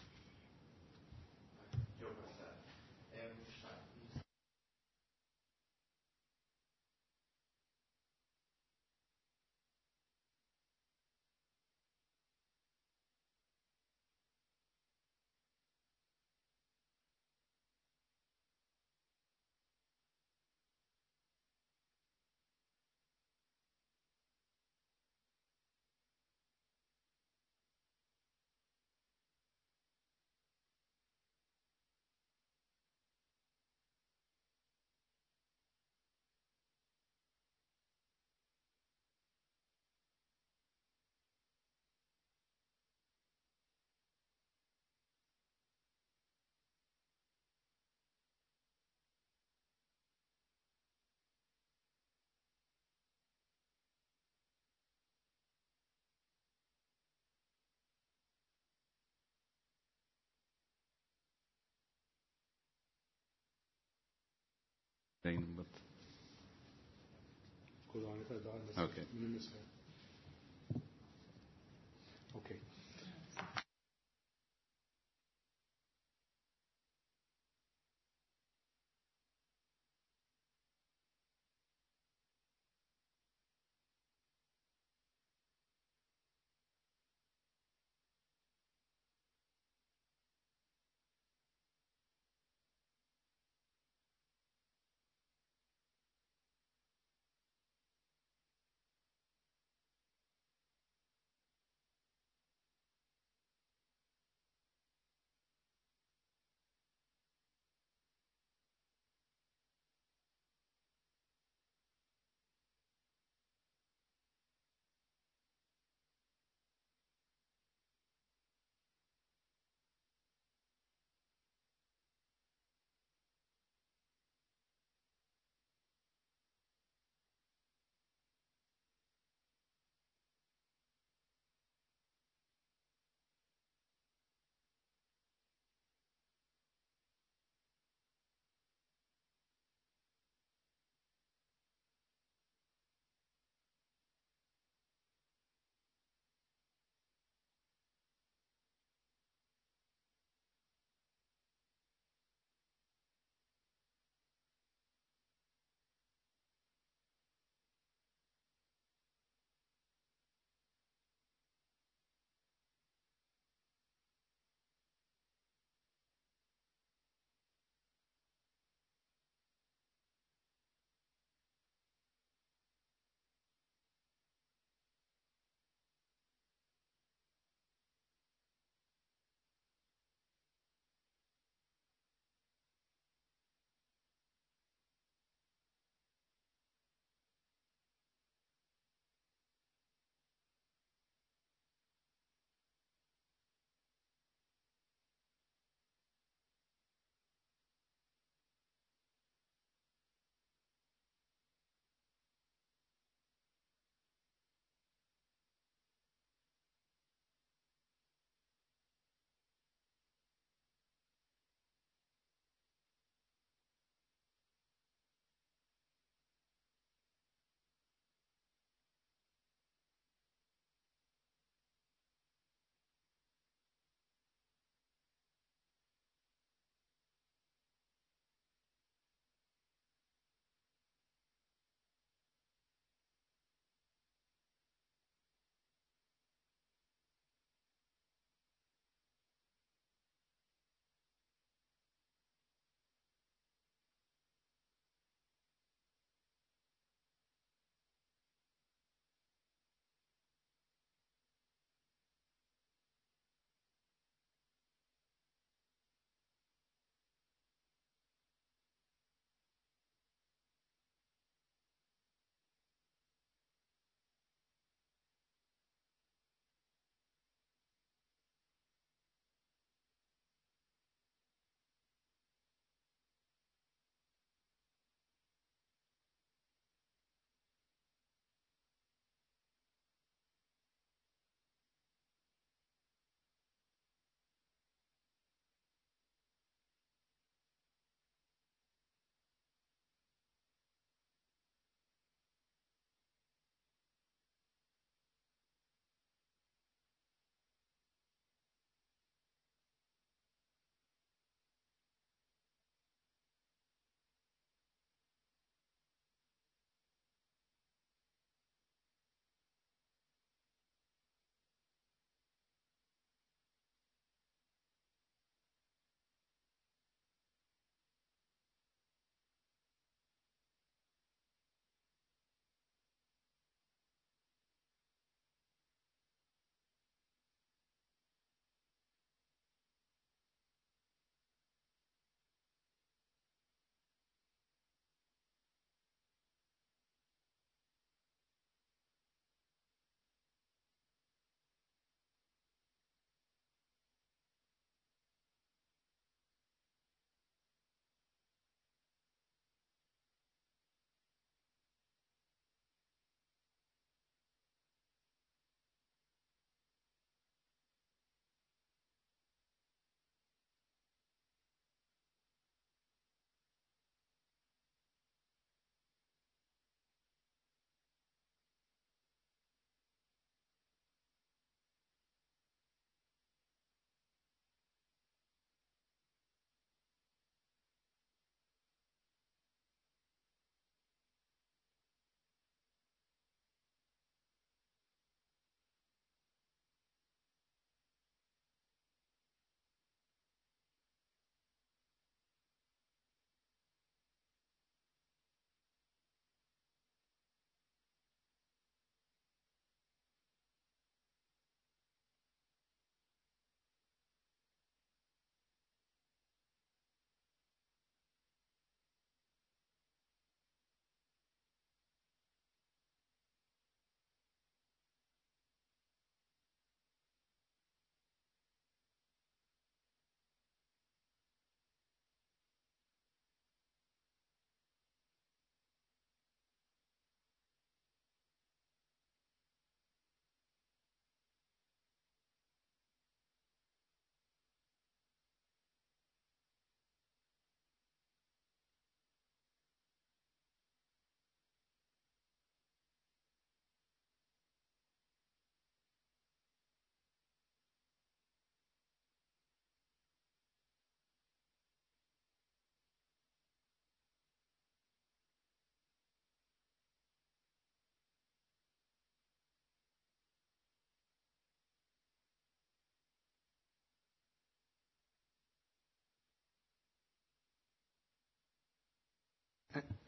A: Okay.
B: Okay.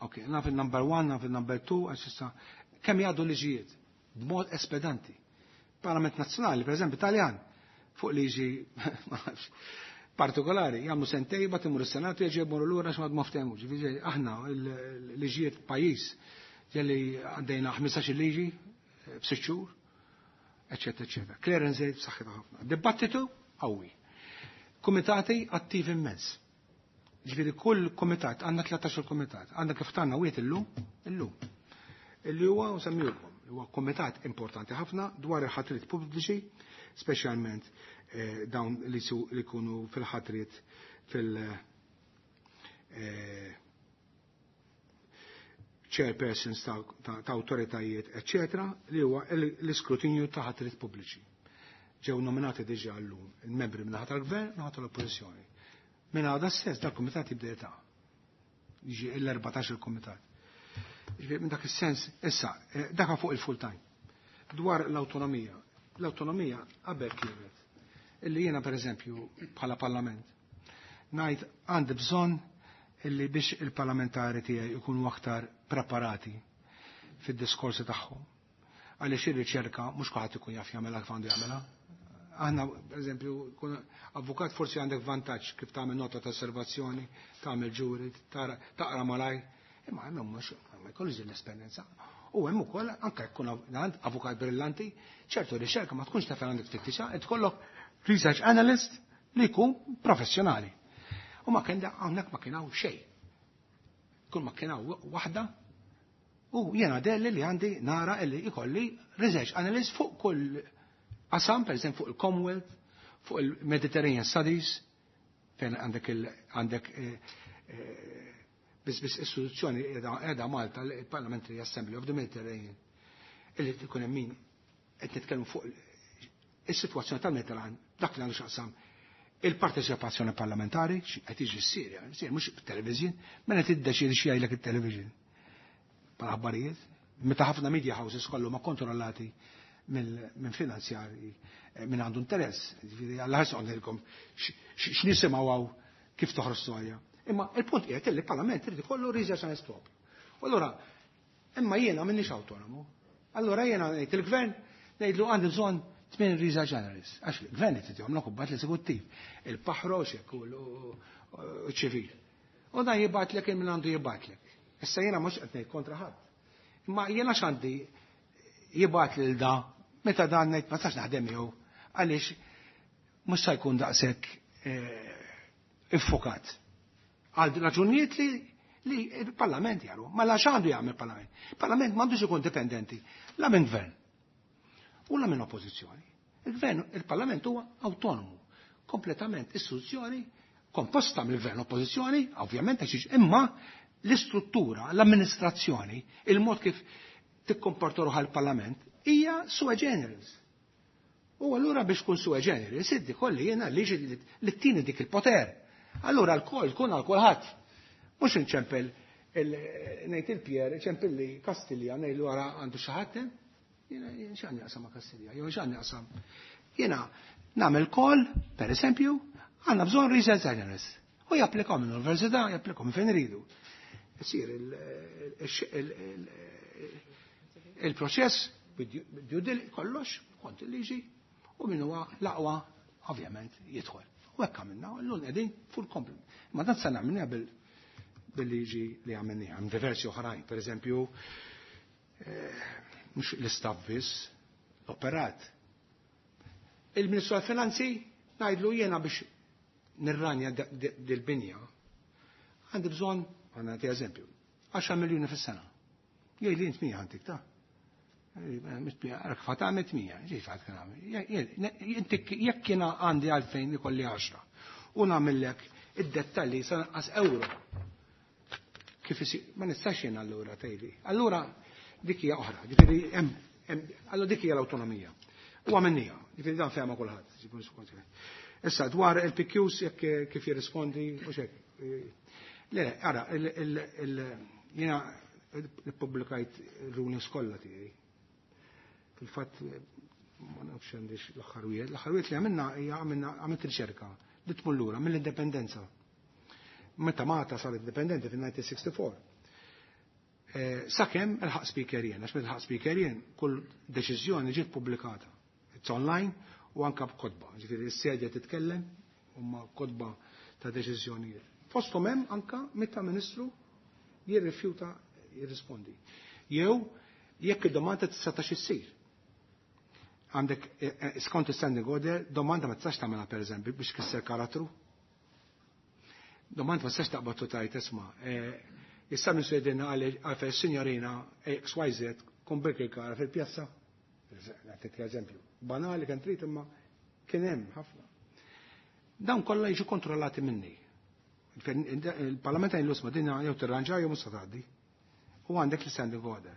B: Ok, naf il-number 1, naf il-number 2, għax issa kemm jgħaddu liġijiet b'mod espedanti. Parlament Nazzjonali, per eżempju, Taljan, fuq liġi ma nafx, partikolari, jagħmlu sentej, bat imur is-Senatu jerġa' jmorru lura għax ma ftehmux. Ġifieri aħna l-liġijiet pajjiż ġelli għaddejna 15 liġi f'sitt xhur, eċetera, eċetera. Clearance rate b'saħħitha ħafna. Dibattitu qawwi. Kumitati attiv immens. Ġifieri kull kumitat, għandna 13 kumitat, għandna kif tanna wieħed illum, illum. Illi huwa nsemmilkom, huwa kumitat importanti ħafna dwar il-ħatriet pubbliċi, speċjalment dawn li jkunu fil-ħatriet fil- chairpersons ta' autoritajiet, eccetera, li huwa l-iskrutinju ta' ħatriet pubbliċi. Ġew nominati diġà llum il-membri minn naħa tal-gvern, naħa tal-oppożizzjoni. Minn għada stess dal-kumitat jibda jeta'. Jiġi l-14 il-kumitat. Ġifieri minn dak is-sens, issa, dak fuq il-full time. Dwar l-awtonomija. L-awtonomija qabel kienet illi jiena pereżempju bħala parlament ngħid għandi bżonn illi biex il-parlamentari tiegħi jkunu aktar preparati fid-diskorsi tagħhom. Għaliex ir-riċerka mhux kulħadd ikun jaf jagħmilha kif għandu jagħmilha. Aħna, pereżempju, kun avukat forsi għandek vantaġġ kif tagħmel nota ta' osservazzjoni, tagħmel ġuri, taqra malajr, imma hemm mhux ma jkollux din l-esperjenza. U hemm ukoll anke jkun avukat brillanti, ċertu riċerka ma tkunx taf għandek tfittixha, qed tkollok research analyst li jkun professjonali. U ma kien hawnhekk ma kien hawn xejn. Kull ma kien hawn waħda u jiena delli li għandi nara illi ikolli research analyst fuq kull qasam, per eżempju fuq il-Commonwealth, fuq il-Mediterranean Studies, fejn għandek għandek biss istituzzjoni qiegħda Malta, il-Parliamentary Assembly of the Mediterranean, illi tkun hemm min qed nitkellmu fuq is-sitwazzjoni tal-Mediterran, dak li għandu x'aqsam il-parteċipazzjoni parlamentari, qed jiġi s-Sirja, s-Sirja mhux television, mela tiddeċiedi xi jgħidlek it-television. Bħala aħbarijiet, meta ħafna media houses kollu ma kontrollati minn finanzjari minn għandu interess. Ġifieri Alla ħares ngħidilkom x'nisimgħu hawn kif toħroġ storja. Imma il-punt qiegħed li l-Parlament irid ikollu research analyst propju. U allura imma jiena m'inhiex awtonomu. Allura jiena ngħid il-gvern ngħidlu għandi bżonn 8 research analysts. Għax il-gvern qed jagħmlu kubbat l-eżekuttiv, il-paħroxek u ċ-ċivil. U dan jibgħatlek il min għandu jibgħatlek. Issa jiena mhux qed ngħid kontra ħadd. Imma jiena x'għandi jibgħat lil da meta dan ngħid ma tistax naħdem miegħu għaliex mhux se jkun daqshekk iffokat. Għal raġunijiet li il-Parlament jaru. Ma la x'għandu jagħmel il-Parlament? Il-Parlament m'għandux ikun dipendenti la minn gvern u la minn oppożizzjoni. Il-gvern, il-Parlament huwa autonomu, kompletament istituzzjoni komposta mill-gvern oppożizzjoni, ovvjament għax imma l-istruttura, l-amministrazzjoni, il-mod kif tikkomporta ruħha l-Parlament hija sui generis. U allura biex tkun sui generis, iddi kolli jiena liġi li ttini dik il-poter. Allura l-kol tkun għal kulħadd. Mhux inċempel ngħid il-Pier, ċempel li Kastilja ngħidlu wara għandu xi ħadd jiena x'għandi jaqsam ma' Kastilja, jew x'għandi jaqsam. Jiena nagħmel call, per eżempju, għandna bżonn research analyst. U japplikaw minn università, japplikaw minn fejn iridu. Isir il-proċess due kollox, kont il-liġi, u min huwa l-aqwa, ovvjament, jidħol. U hekk għamilna, u llum qegħdin full complement. Ma dan se nagħmilha bil-liġi li għamilniha, hemm diversi oħrajn, per eżempju, mhux l-istaff biss, l-operat. Il-Ministru tal-Finanzi ngħidlu jiena biex nirranja dil-binja, għandi bżonn, għandna nagħti eżempju, 10 miljuni fis-sena. Jgħid li int mija għandik ta' Għarak fata għamet 100, ġi fat kien għamil. Inti jekk jiena għandi għalfejn ikolli 10 u nagħmellek id-dettalji sa naqqas euro. Kif isir, ma nistax jien allura tgħidli. Allura dik hija oħra, ġifieri hemm allura dik hija l-awtonomija. U għamilniha, ġifieri dan fehma kulħadd. Issa dwar il-PQs jekk kif jirrispondi u xek. Le, ara, jiena ippubblikajt rulings kollha tiegħi. Fil-fatt ma nafx għandix l-aħħar wieħed. L-aħħar wieħed li għamilna hija għamilna għamilt riċerka li tmur lura mill-indipendenza. Meta Malta saret indipendenti fil-1964. Sakemm il-ħaq speaker jien, għax meta ħaq speaker jien, kull deċiżjoni ġiet pubblikata. It's online u anka b'kotba. Ġifieri s-sedja titkellem huma kotba ta' deċiżjonijiet. Fosthom hemm anka meta ministru jirrifjuta jirrispondi. Jew jekk id-domanda tista' issir. Għandek skont standing order, domanda ma tistax tagħmilha pereżempju biex kisser karattru. Domanda ma tistax taqbad u tajt isma' issa minn swedina għalfej signorina XYZ kun kara fil-pjazza. Għatik eżempju. Banali kien trid imma kien hemm ħafna. Dawn kollha jiġu kontrollati minni. Il-Parlament għajn l dinja jew tirranġa jew mhux tgħaddi. U għandek l-standing order.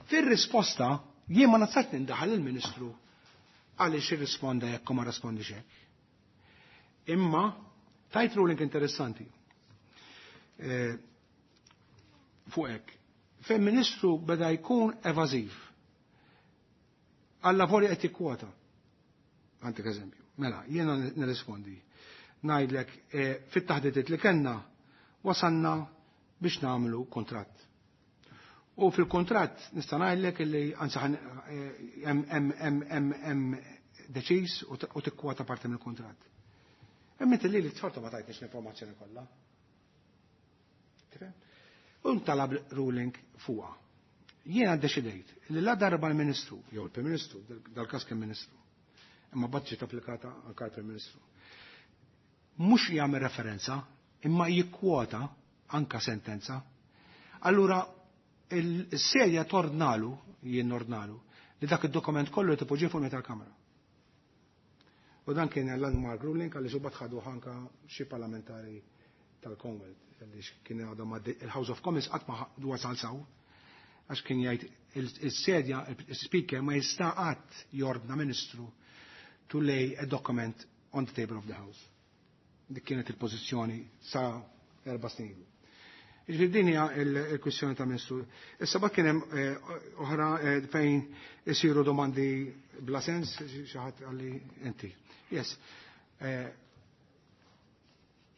B: Fir-risposta jien ma nistax nindaħal il-Ministru għaliex irrisponda jekk ma rispondix hekk. Imma tajt ruling interessanti. Fuq hekk. Fejn ministru beda jkun evażiv. Alla volja qed jikkwota. Għandek eżempju. Mela, jiena nirrispondi. Ngħidlek fit-taħdidiet li kellna wasanna biex nagħmlu kontratt. U fil-kontratt nista' ngħidlek illi anzi hemm deċiż u tikkwota parti mill-kontratt. Hemm inti li tforta ma tajtniex l-informazzjoni kollha. U ntalab ruling fuqha. Jiena ddeċidejt li la darba l-Ministru, jew il-Prim Ministru, dal-każ kien Ministru, imma bad ġiet applikata anke għall-Prim Ministru. Mhux jagħmel referenza, imma jikkwota anka sentenza. Allura il-serja tordnalu, jien ordnalu, li dak id-dokument kollu tipoġġi fuq tal-Kamra. U dan kien landmark ruling għaliex u ħadu anka xi parlamentari tal-Commonwealth li kien għadhom il-House of Commons qatt ma wasal saw għax kien jgħid il-sedja, il-speaker ma jista' qatt jordna ministru to lay a document on the table of the House. Dik kienet il-pożizzjoni sa 4 snin ilu. Ġifieri din hija il-kwistjoni ta' ministru. Issa bak kien hemm oħra fejn isiru domandi bla sens, xi ħadd qalli inti. Yes.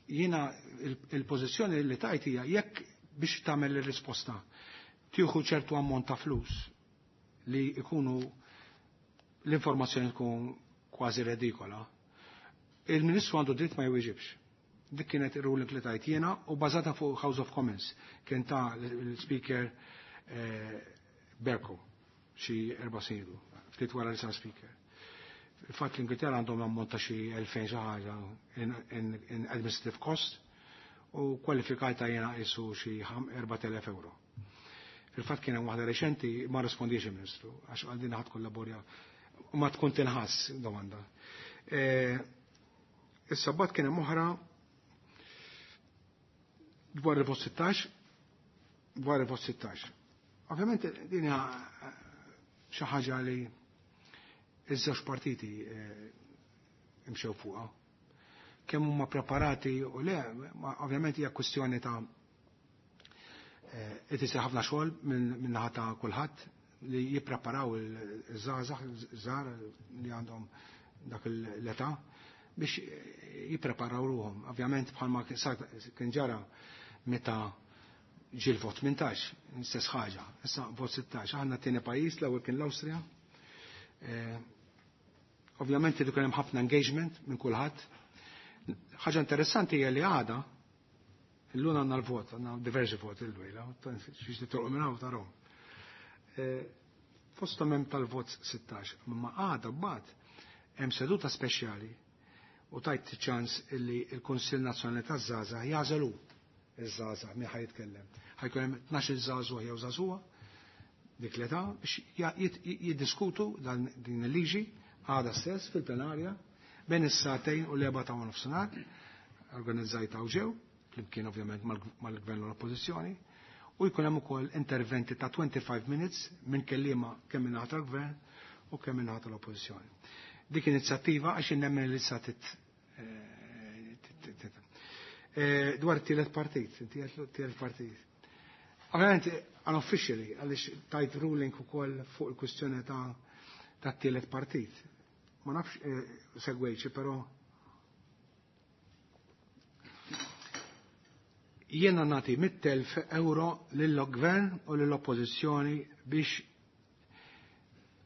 B: Jiena il-pożizzjoni li tajt hija jekk biex tagħmel ir-risposta tieħu ċertu ammont ta' flus li ikunu l-informazzjoni tkun kważi redikola, il-Ministru għandu dritt ma jwieġibx. Dik kienet ir-ruling li tajt jiena u bażata fuq House of Commons. Kien ta' l-Speaker Bercow xi 4 snin ilu, ftit wara li sar Speaker. Il-fatt l-Ingilterra għandhom ammont ta' xi 2000 xi ħaġa in administrative cost u kwalifikajta jiena qisu xi 4000 euro. Il-fatt kien hemm waħda reċenti ma rispondiex il-Ministru għax għal din ħadd kollaborja ma tkun tinħass domanda. Issa bat kien hemm oħra dwar il-vot 16, dwar il-vot 16. Ovvjament din hija xi ħaġa li iż-żewġ partiti imxew fuqha. Kemm huma preparati u le, ovvjament hija kwestjoni ta' qed isir ħafna xogħol minn naħa ta' kulħadd li jippreparaw il-żgħażagħ żgħar li għandhom dak l-età biex jippreparaw ruhom. Ovvjament bħalma kien ġara meta ġie l-vot 18, istess ħaġa, issa vot 16. Aħna t-tieni pajjiż, l-ewwel kien l-Awstrija. Ovvjament irid ikun hemm ħafna engagement minn kulħadd. Ħaġa interessanti hija li għada illum għandna l-vot, għandna diversi vot il-lejla, xiex titolqu minn hawn tarahom. Fosthom hemm tal-vot 16, imma għada mbagħad hemm seduta speċjali u tajt ċans illi il-Kunsill Nazzjonali taż-Żgħażagħ jagħżelu iż-żgħażagħ min ħa jitkellem. Ħa jkun hemm 12 żagħżugħ jew żagħżugħa dik l-età biex jiddiskutu din il-liġi għada stess fil-plenarja bejn is-sagħtejn u l-4 ta' nofsinhar organizzajta u ġew, flimkien ovvjament mal-gvern u l-oppożizzjoni, u jkun hemm ukoll interventi ta' 25 minutes minn kelliema kemm minn naħa tal-gvern u kemm minn naħa tal-oppożizzjoni. Dik inizjattiva għax nemmen li sa dwar it-tielet partit, it-tielet partit. Ovvjament, unofficially, għaliex tajt ruling ukoll fuq il-kwistjoni ta' t-tielet partit. Ma nafx segwejċi, però Jiena nagħti 100,000 euro lill-gvern u lill-oppożizzjoni biex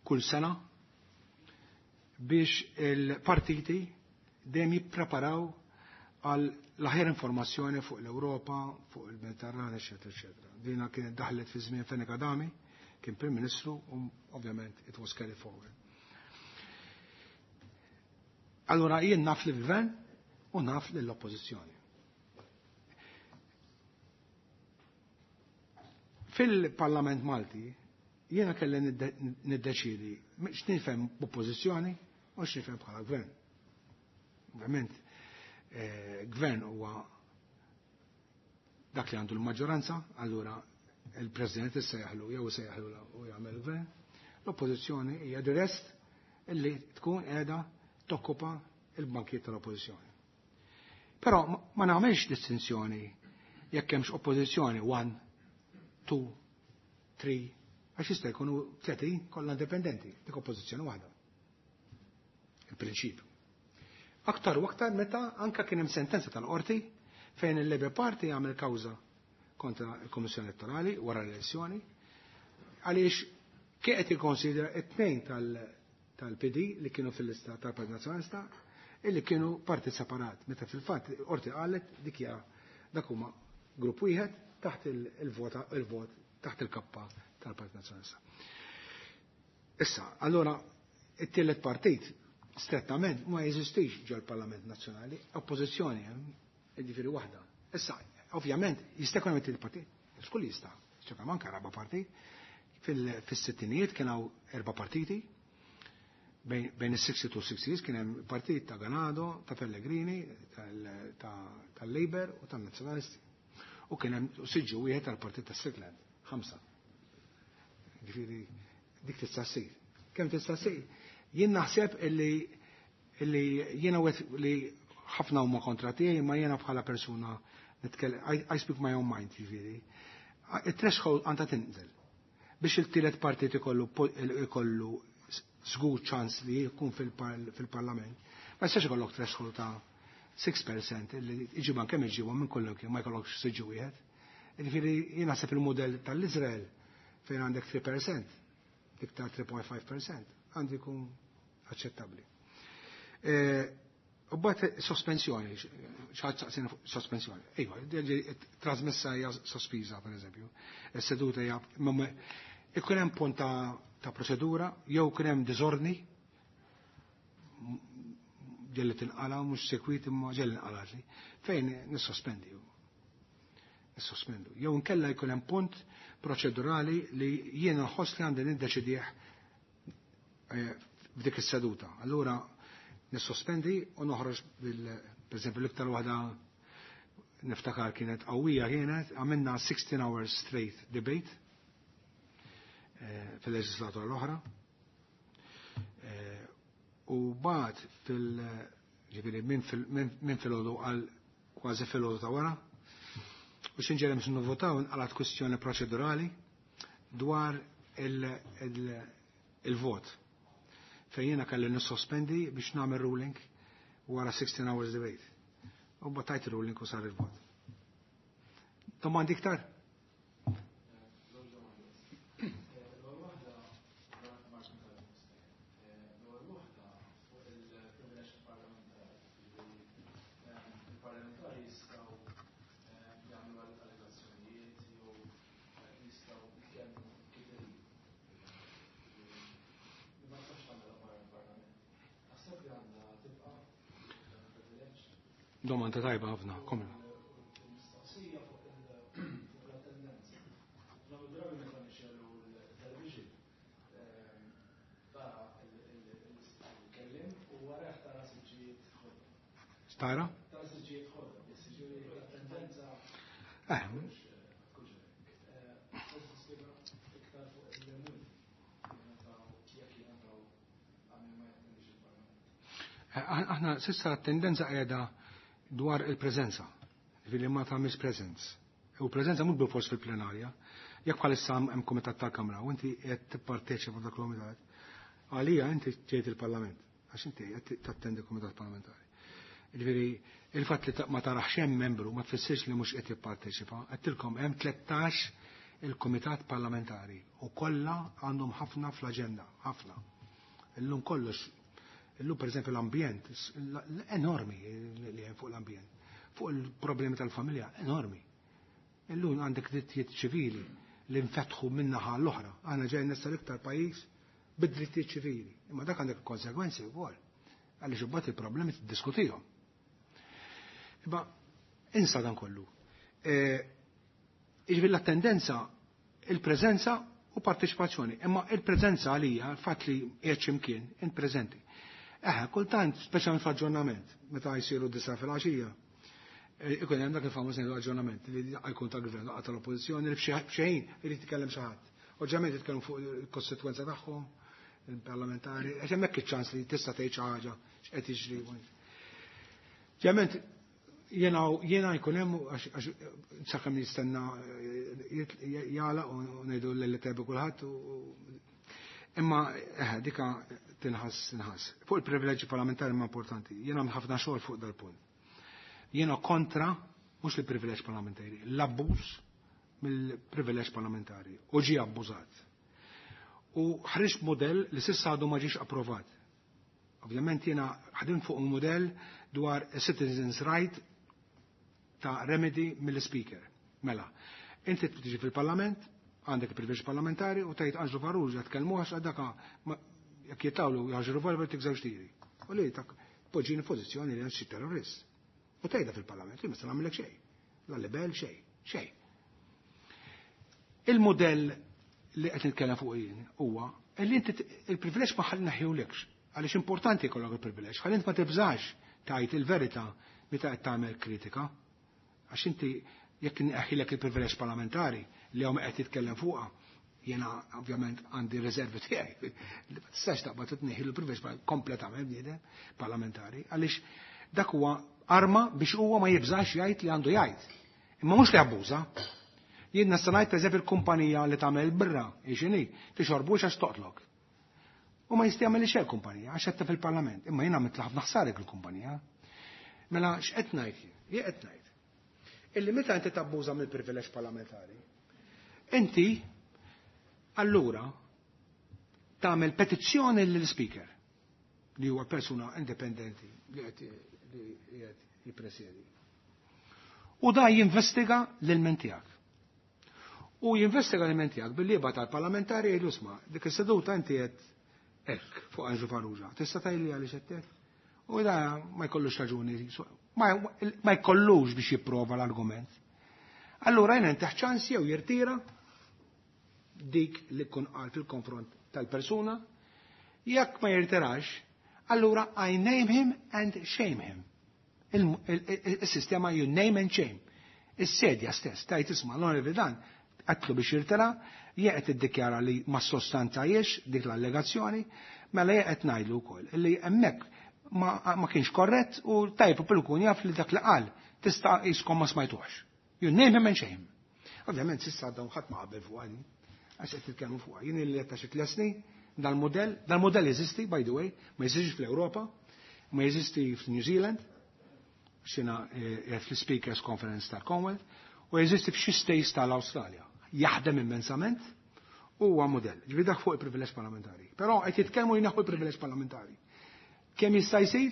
B: kull sena biex il-partiti dejjem jippreparaw għal l-aħjar informazzjoni fuq l-Ewropa, fuq il-Mediterran, eċetera, eċetera. Dina kienet daħlet fi żmien Fenech Adami, kien Prim Ministru, u ovvjament it was carried forward. Allora jien naf lill-gvern u naf lill-oppożizzjoni. Fil-Parlament Malti jiena kelli niddeċidi x'nifhem b'oppożizzjoni u x'nifhem bħala gvern. Ovvjament, gvern huwa dak li għandu l-maġġoranza, allura il-President issejjaħlu jew isejjaħlu u jagħmel gvern. L-oppożizzjoni hija the rest illi tkun qiegħda tokkupa il-bankiet tal-oppożizzjoni. Però ma nagħmilx distinzjoni jekk hemmx oppożizzjoni 1, 2, 3, għax jista' jkunu 30 kollha indipendenti, dik oppożizzjoni waħda. Il-prinċipju. Aktar u aktar meta anka kien hemm sentenza tal-qorti fejn il-Labour Party għamel kawża kontra l-Kummissjoni Elettorali wara l-elezzjoni għaliex kien qed jikkonsidra it-tnejn tal-PD li kienu fil-lista tal-Partit Nazzjonalista illi kienu partit separat. Meta fil-fatt qorti qalet dik hija dak huma grupp wieħed taħt il-vot taħt il-kappa tal-Partit Nazzjonalista. Issa, allora it-tielet partit strettament ma jeżistix ġol-Parlament Nazzjonali, oppożizzjoni hemm, jiġifieri waħda. Issa, ovvjament, jista' jkun hemm it-tielet partit, xkull jista', ċekam anke raba partit. Fis-sittinijiet kien hawn erba' partiti, bejn is-62 u 66 kien hemm partit ta' Ganado, ta' Pellegrini, tal-Labour u tan-Nazzjonalisti. U kien hemm siġġu wieħed tal-partit ta' Strickland, 5. Ġifieri dik tista' ssir. Kemm tista' ssir? Jien naħseb illi jiena wieħed li ħafna huma kontra tiegħi, ma jiena bħala persuna nitkellem, I speak my own mind, ġifieri. Il-threshold għandha tinżel biex il-tielet partit ikollu żgur ċans li jkun fil-parlament. Ma jistax ikollok threshold ta' 6% illi iġiban kemm iġibhom minn kollok ma jkollokx siġġu wieħed. Ġifieri jien naħseb il-mudell tal-Iżrael fejn għandek 3%, iktar 3.5%, għandu jkun aċċettabbli. U bat sospensjoni, xaħat saqsina sospensjoni. Iva, trasmessa hija sospiża, per eżempju. Is-seduta hija, ikun hemm punt ta' proċedura, jew ikun hemm diżordni, ġelli tinqala, mhux sekwit imma ġelli nqalatli, fejn nissospendi. Nissospendu. Jew inkella jkun hemm punt proċedurali li jiena nħoss li għandi niddeċidih f'dik is-seduta. Allura nissospendi u noħroġ bil, per eżempju, l-iktar waħda niftakar kienet qawwija kienet, għamilna 16 hours straight debate fil-leġislatura l-oħra. U bad fil-, ġifieri, minn filgħodu għal kważi filgħodu ta' wara, u xinġerem biex nivvotaw nqalat kwistjoni proċedurali dwar il-vot. Fejn jiena kelli nissospendi biex nagħmel ruling wara 16 hours debate. U batajt ruling u sar il-vot. Domandi iktar? Domanda tajba ħafna, komla.
C: Mistoqsija fuq l-attendenza. Dawn id-drabi meta nixxelu l-television, tara il-kellim u wara tara siġġijiet ħodor.
B: Tara?
C: Tara siġġijiet ħodor, jiġifieri l-attendenza. Forsi tispjega iktar fuq il-lemur jekk jingħataw għal min ma jattendix il-Parlament.
B: Aħna s'issa l-attendenza qiegħda dwar il-preżenza, ġifieri ma tagħmilx presence. U preżenza mhux bilfors fil-plenarja. Jekk bħalissa hemm kumitat tal-Kamra u inti qed tipparteċipa f'dak il-kumitat, għalija inti ġejt il-Parlament, għax inti qed tattendi kumitat parlamentari. Ġifieri il-fatt li ma tarax hemm membru ma tfissirx li mhux qed jipparteċipa. Għedtilkom hemm 13 il-kumitat parlamentari u kollha għandhom ħafna fl-aġenda, ħafna. Illum kollox, illum pereżempju l-ambjent, enormi li hemm fuq l-ambjent, fuq il-problemi tal-familja, enormi. Illum għandek drittijiet ċivili li nfetħu min-naħa l-oħra. Aħna ġejna nessa l-iktar pajjiż bid-drittijiet ċivili. Imma dak għandek konsegwenzi wkoll. Għaliex imbagħad il-problemi tiddiskutihom. Imma insa dan kollu. Jiġifieri l-attendenza, il-preżenza u parteċipazzjoni. Imma il-preżenza għalija, il-fatt li qiegħed x'imkien, int preżenti. Eħe, kultant, speċjalment fl-aġġornament, meta jsiru 9 fil-għaxija, ikun hemm dak il-famuż ngħidu aġġornament li jkun tal-gvern laqgħa tal-oppożizzjoni li f'xejn irid jitkellem xi ħadd. Ovvjament jitkellmu fuq il-kostitwenza tagħhom, il-parlamentari, għax hemmhekk iċ-ċans li tista' tgħid xi ħaġa x'qed jiġri. Ovvjament jiena jkun hemm għax sakemm jistenna jagħlaq u ngħidu lil tebi kulħadd imma dika tinħass tinħass. Fuq il-privileġġi parlamentari ma importanti. Jiena ħafna xogħol fuq dal-punt. Jiena kontra mhux il-privileġġ parlamentari, l-abbuż mill-privileġġ parlamentari u ġie abbużat. U ħriġt modell li s'issa għadu ma ġiex approvat. Ovvjament jiena ħdimt fuq un modell dwar citizens right ta' remedy mill-speaker. Mela, inti tiġi fil-parlament, għandek il-privileġġ parlamentari u tgħid Anġlu Farrugia tkellmu għax daka jekk jitawlu jaġru revolver tik żewġ tiri. U li tak poġġini f'pożizzjoni li xi terrorist. U tgħidha fil-parlament, li ma se nagħmellek xejn. La libel xejn, xejn. Il-modell li qed nitkellem fuq jien huwa li inti il-privileġġ ma ħalli naħjulekx. Għaliex importanti jkollok il-privileġġ, ħalli int ma tibżax tgħid il-verità meta qed tagħmel kritika. Għax inti jekk neħilek il-privileġġ parlamentari li hawn qed titkellem fuqha, jiena ovvjament għandi riservi tiegħi. Ma tistax taqbad tneħħi l-privileġġ kompletament bniedem parlamentari, għaliex dak huwa arma biex huwa ma jibżax jgħid li għandu jgħid. Imma mhux li abbuża. Jien nista' ngħid pereżempju l-kumpanija li tagħmel birra, x'inhi, tixorbux għax toqtlok. U ma jista' jagħmel xejn kumpanija għax qed fil-Parlament, imma jiena għamilt ħafna ħsarek il-kumpanija. Mela x'qed ngħid jien? Jien qed ngħid illi meta inti tabbuża mill-privileġġ parlamentari, inti allura tagħmel petizzjoni lill-speaker li huwa persuna indipendenti li qed jippresjedi. U da jinvestiga l-ilment tiegħek. U jinvestiga l-ilment tiegħek billi jibgħat għall-parlamentari jgħidu isma' dik is-seduta inti qed hekk fuq Anġlu Farrugia. Tista' tgħidli għaliex qed hekk? U da ma jkollux raġuni, ma jkollux biex jipprova l-argument. Allura jien taħ ċans jew jirtira dik li kun qal fil-konfront tal-persuna, jekk ma jirtirax, allura I name him and shame him. Il-sistema you name and shame. Is-sedja stess, tajt isma' l-onorevoli dan, għatlu biex jirtira, jekk qed iddikjara li ma sostanzajiex dik l-allegazzjoni, mela jekk qed ngħidlu wkoll li hemmhekk ma kienx korrett u tajb u kun jaf li dak li qal tista' jiskom ma smajtuħx. You name him and shame. Ovvjament s'issa dawn ħadd ma qabel fuq għadi, għax qed titkellmu fuqha. Jien li qed xi tliet dal-modell, dal-modell jeżisti, by the way, ma jeżistix fl-Ewropa, ma jeżisti f'New Zealand, xina fl-Speakers Conference tal-Commonwealth, u jeżisti f'xi states tal-Awstralja. Jaħdem immensament u huwa modell. Ġifieri dak fuq il-privileġġ parlamentari. Però qed jitkellmu jneħħu il-privileġġ parlamentari. Kemm jista' jsir?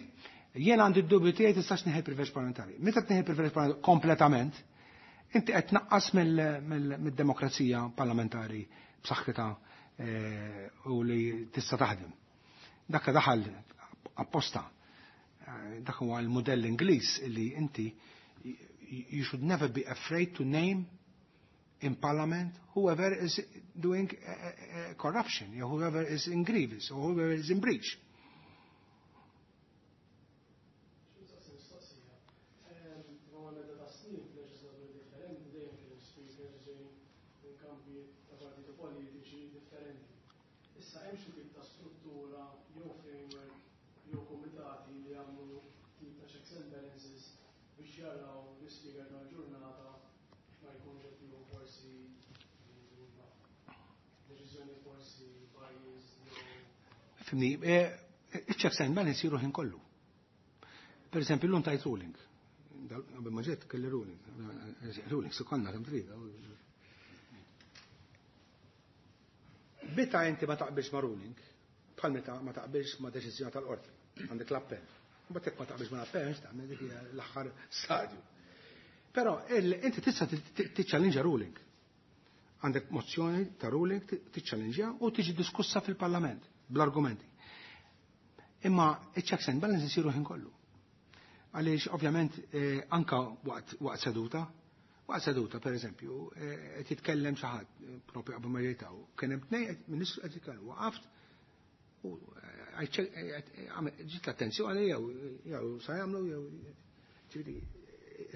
B: Jien għandi d-dubju tiegħi tistax neħi il-privileġġ parlamentari. Meta tneħi il-privileġġ parlamentari kompletament, inti qed tnaqqas mid-demokrazija parlamentari b'saħħitha u li tista' taħdem. Dak daħal apposta. Dak huwa l-modell Ingliż li inti you should never be afraid to name in parliament whoever is doing corruption, or whoever is in grievance, or whoever is in breach.
C: Issa hemm xi tip ta' struttura jew framework jew kumitati li jagħmlu tip ta' checks and balances biex jaraw l-ispeaker tal-ġurnata ma jkunx qed jieħu forsi deċiżjoni forsi biased jew
B: Fimni, il-checks and balance jiru ħin kollu. Per eżempju, l-lum tajt ruling. Qabel ma ġiet kelli ruling. Ruling, su konna kemm trid. Meta inti ma taqbilx ma' ruling, bħal meta ma taqbilx ma' deċiżjoni tal-qorti, għandek l-appell. Mbagħad jekk ma taqbilx ma' l-appell, x'tagħmel dik hija l-aħħar stadju. Però inti tista' tiċċallinġa ruling. Għandek mozzjoni ta' ruling tiċċallinġja u tiġi diskussa fil-Parlament bl-argumenti. Imma iċ-checks and balances isiru ħin kollu. Għaliex ovvjament anka waqt seduta, waqt seduta per eżempju, qed jitkellem xi ħadd propju qabel ma jgħidaw, kien hemm tnejn ministru qed jitkellem, waqaft u ġiet l-attenzjoni jew sa jagħmlu jew ġifieri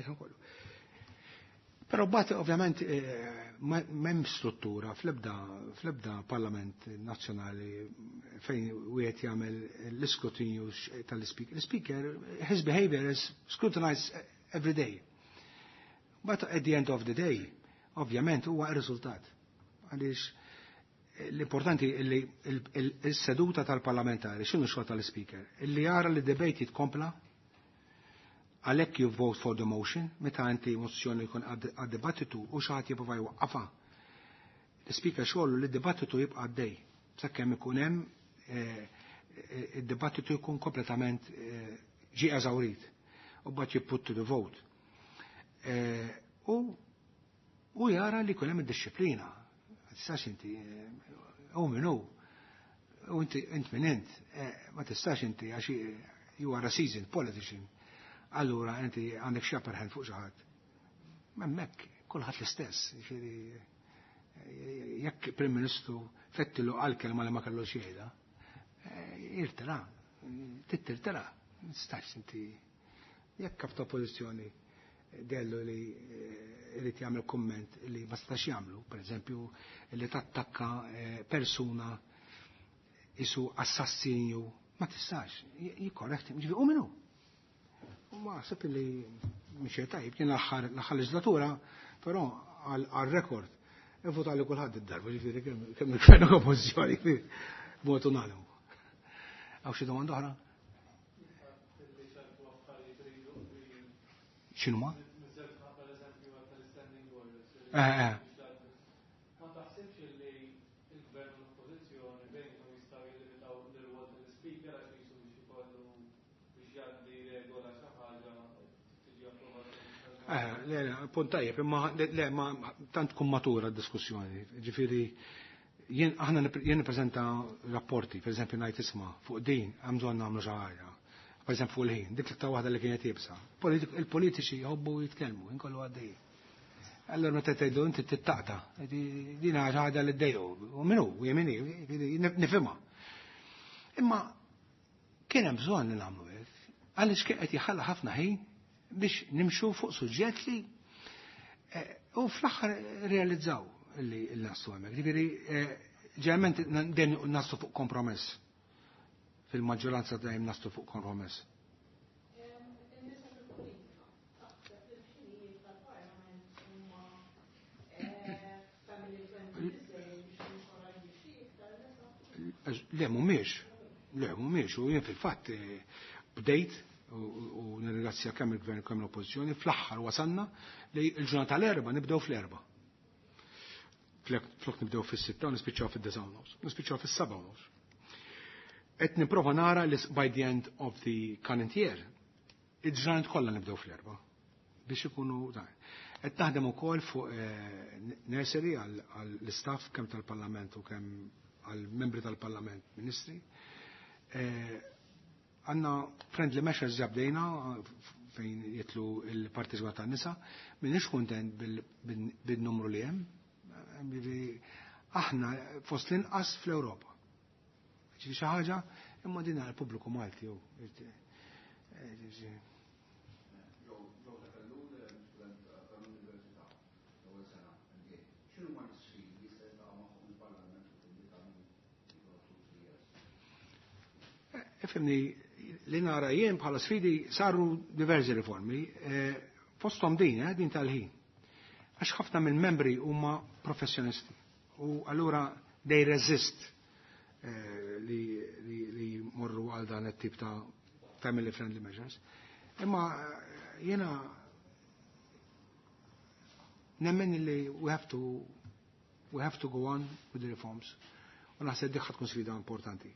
B: ħin kollu. Però mbagħad ovvjament m'hemm struttura fl-ebda parlament nazzjonali fejn wieħed jagħmel l-iskrutinju tal-speaker. L-speaker, his behavior is scrutinized every day. But at the end of the day, ovvjament huwa r-riżultat. Għaliex l-importanti li s-seduta tal-parlamentari, x'inhu xogħol tal-speaker? Illi jara li debate jitkompla, għalhekk you vote for the motion, meta inti mozzjoni jkun għad-dibattitu u xi ħadd jipprova jwaqqafha. L-speaker xogħlu li d-dibattitu jibqa' għaddej, sakemm ikun hemm id-dibattitu jkun kompletament ġie eżawrit u mbagħad you put to the vote. U jara li jkun hemm id-disciplina. Ma tistax inti u min hu, u inti int min int, ma tistax inti għax you are a seasoned politician. Allura inti għandek xi upper hand fuq xi ħadd. Hemmhekk kulħadd l-istess, jiġifieri jekk Prim Ministru fettilu għal kelma li ma kellux jgħidha, irtira, tittirtira, ma tistax inti jekk kap ta' oppożizzjoni dellu li irid jagħmel kumment li ma setax jagħmlu, pereżempju li tattakka persuna isu assassinju, ma tistax, jikkorrekt, ġifieri u minnu. U ma ħseb li mhix tajjeb, kien l-aħħar leġislatura, però għal rekord, ivvota li kulħadd id-darba, ġifieri kemm il-gvern u oppożizzjoni, b'mod unanimu. Hawn xi domanda oħra? X'inhu ma?
C: Ma taħsibx li il-gvern u l-oppożizzjoni bejnhom jistgħu jillimitaw l-rwol tal-speaker għax jisu biex ikollu biex jgħaddi regola xi ħaġa tiġi approvata?
B: Le, le, punt tajjeb, imma le, ma tant tkun matura d-diskussjoni. Ġifieri, jien aħna jien nippreżenta rapporti, per eżempju ngħid isma' fuq din hemm bżonn nagħmlu xi ħaġa. Per eżempju fuq il-ħin, dik l-iktar waħda li kienet iebsa. Il-politiċi jħobbu jitkellmu, inkollu għaddej. Allora meta tgħidu inti tittaqta, din xi ħaġa li ddejqu, u min hu, u jien nifhimha. Imma kien hemm bżonn li nagħmlu hekk, għaliex kien qed jħalla ħafna ħin biex nimxu fuq suġġett li u fl-aħħar realizzaw li naslu hemmhekk. Ġifieri ġeneralment dejjem naslu fuq kompromess. Fil-maġġoranza dejjem naslu fuq kompromess.
D: In-nisa fil-politika, taħseb li l-ħinijiet tal-Parlament huma family friendly biżejjed biex jinkoraġġixxi iktar nisa?
B: Le, mhumiex. Le, mhumiex. U jien fil-fatt bdejt u nirringrazzja kemm il-gvern kemm l-oppożizzjoni, fl-aħħar wasalna li l-ġurnata tal-Erbgħa nibdew fl-4. Flok nibdew fis-6 u nispiċċaw fid-9:30, nispiċċaw fis-7:30. Qed nipprova nara li by the end of the current year, il-ġranet kollha nibdew fl-4 biex ikunu dan. Qed naħdem ukoll fuq nursery għall-istaff kemm tal-Parlament u kemm għall-membri tal-Parlament, ministri. Għandna friendly measures ġabdejna fejn jitlu il-partiġwa tan-nisa, m'iniex kuntent bil-numru li hemm. Aħna fost l-inqas fl-Ewropa. Ġifieri xi ħaġa imma din għall pubbliku Malti jew.
A: Joe Tafellul, student tal-Università, l-ewwel sena MBA. X'inhu ma l-isfidi li jista' jiltaqa' magħhom il-Parlament u coming 2-3 years?
B: Ifhimni, li nara jien bħala sfidi saru diversi riformi, fosthom din tal-ħin. Għax ħafna mill-membri huma professjonisti u allura they resist li morru għal dan it-tip ta' family friendly measures. Imma jiena nemmen li we have to go on with the reforms. U naħseb dik tkun sfida importanti.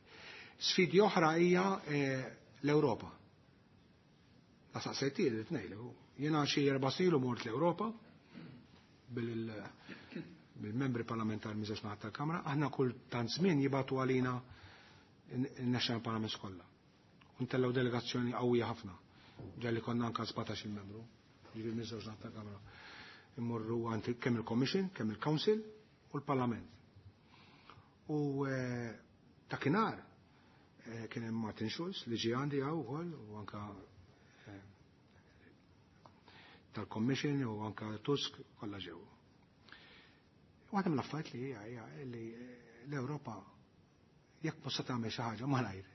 B: Sfidi oħra hija l-Ewropa. La saqsejti li tnejlu. Jiena xi 4 snin mort l-Ewropa bil-membri parlamentari miż naħat tal-Kamra, aħna kull tant żmien jibagħtu għalina il-National Parliaments kollha. U ntellgħu delegazzjoni qawwija ħafna. Ġalli konna anka 17 il-membru, ġifieri miż naħat tal-Kamra. Immorru għand kemm il-Commission, kemm il-Council u l-Parlament. U dakinhar kien hemm Martin Schulz li ġie għandi hawn ukoll u anka tal-Commission u anka Tusk kollha ġew. Waħda mill-affarijiet li hija li l-Ewropa jekk possa tagħmel xi ħaġa malajr.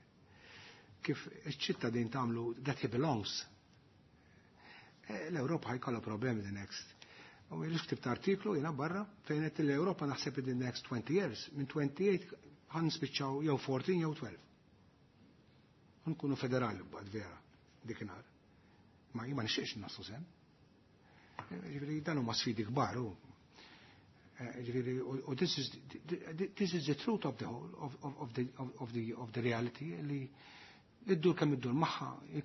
B: Kif iċ-ċittadin tagħmlu that he belongs. L-Ewropa ħa jkollha problemi the next. U jien ktibt artiklu jiena barra fejn qed l-Ewropa naħseb in the next 20 years, minn 28 ħa nispiċċaw jew 14 jew 12. Nkunu federali bad vera dikinhar. Ma jien ma nixtieqx naslu s'hemm. Ġifieri dan huma sfidi kbar u ġifieri u this is the truth of the whole of the reality li iddur kemm iddur magħha you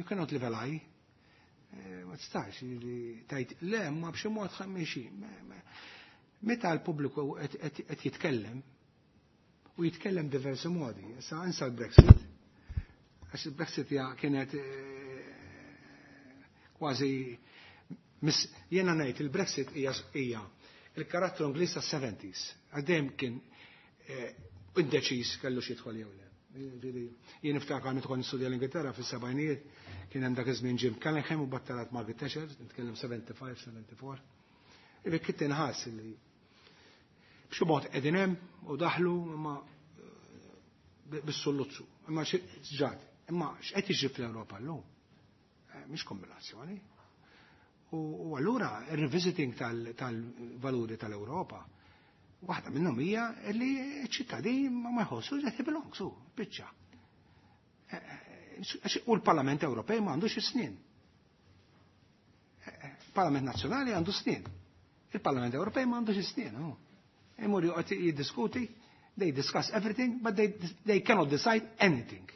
B: cannot live a lie. Ma tistax li tgħid le, ma b'xi mod miexi. Meta l-pubbliku qed jitkellem u jitkellem diversi modi, issa insa l-Brexit, għax il-Brexit kienet kważi jiena ngħid il-Brexit hija il-karattru Ingliż tas-70s. Għaddejjem kien indeċiż kellu xi jidħol jew le. Jien niftakar meta kont nistudja l-Ingilterra fis-sebgħinijiet, kien hemm dak iż-żmien Jim Callaghan u battalat Margaret Thatcher, nitkellem 75, 74. Ivi kien inħass li b'xi mod qegħdin hemm u daħlu imma bis-sulluzzu. Imma ġat, imma x'qed jiġri fl-Ewropa llum? Mhix kombinazzjoni. U allura il-revisiting tal-valuri tal-Ewropa, waħda minnhom hija li ċ-ċittadin ma jħossu that he belongs, su, biċċa. U l-Parlament Ewropej ma għandux snin. Parlament Nazzjonali għandu snin. Il-Parlament Ewropej ma għandux snin. Imur joqgħod jiddiskuti, they discuss everything, but they cannot decide anything.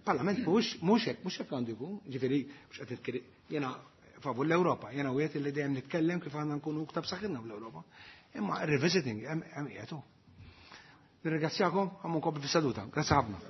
B: Parlament mhux hekk għandu jkun, ġifieri mhux qed nitkellem jiena favur l-Ewropa, jiena wieħed li dejjem nitkellem kif għandna nkunu iktar b'saħħitna fl-Ewropa. Imma revisiting hemm qiegħed. Nirringrazzjakom, għamu nkompli fis-seduta. Grazzi ħafna.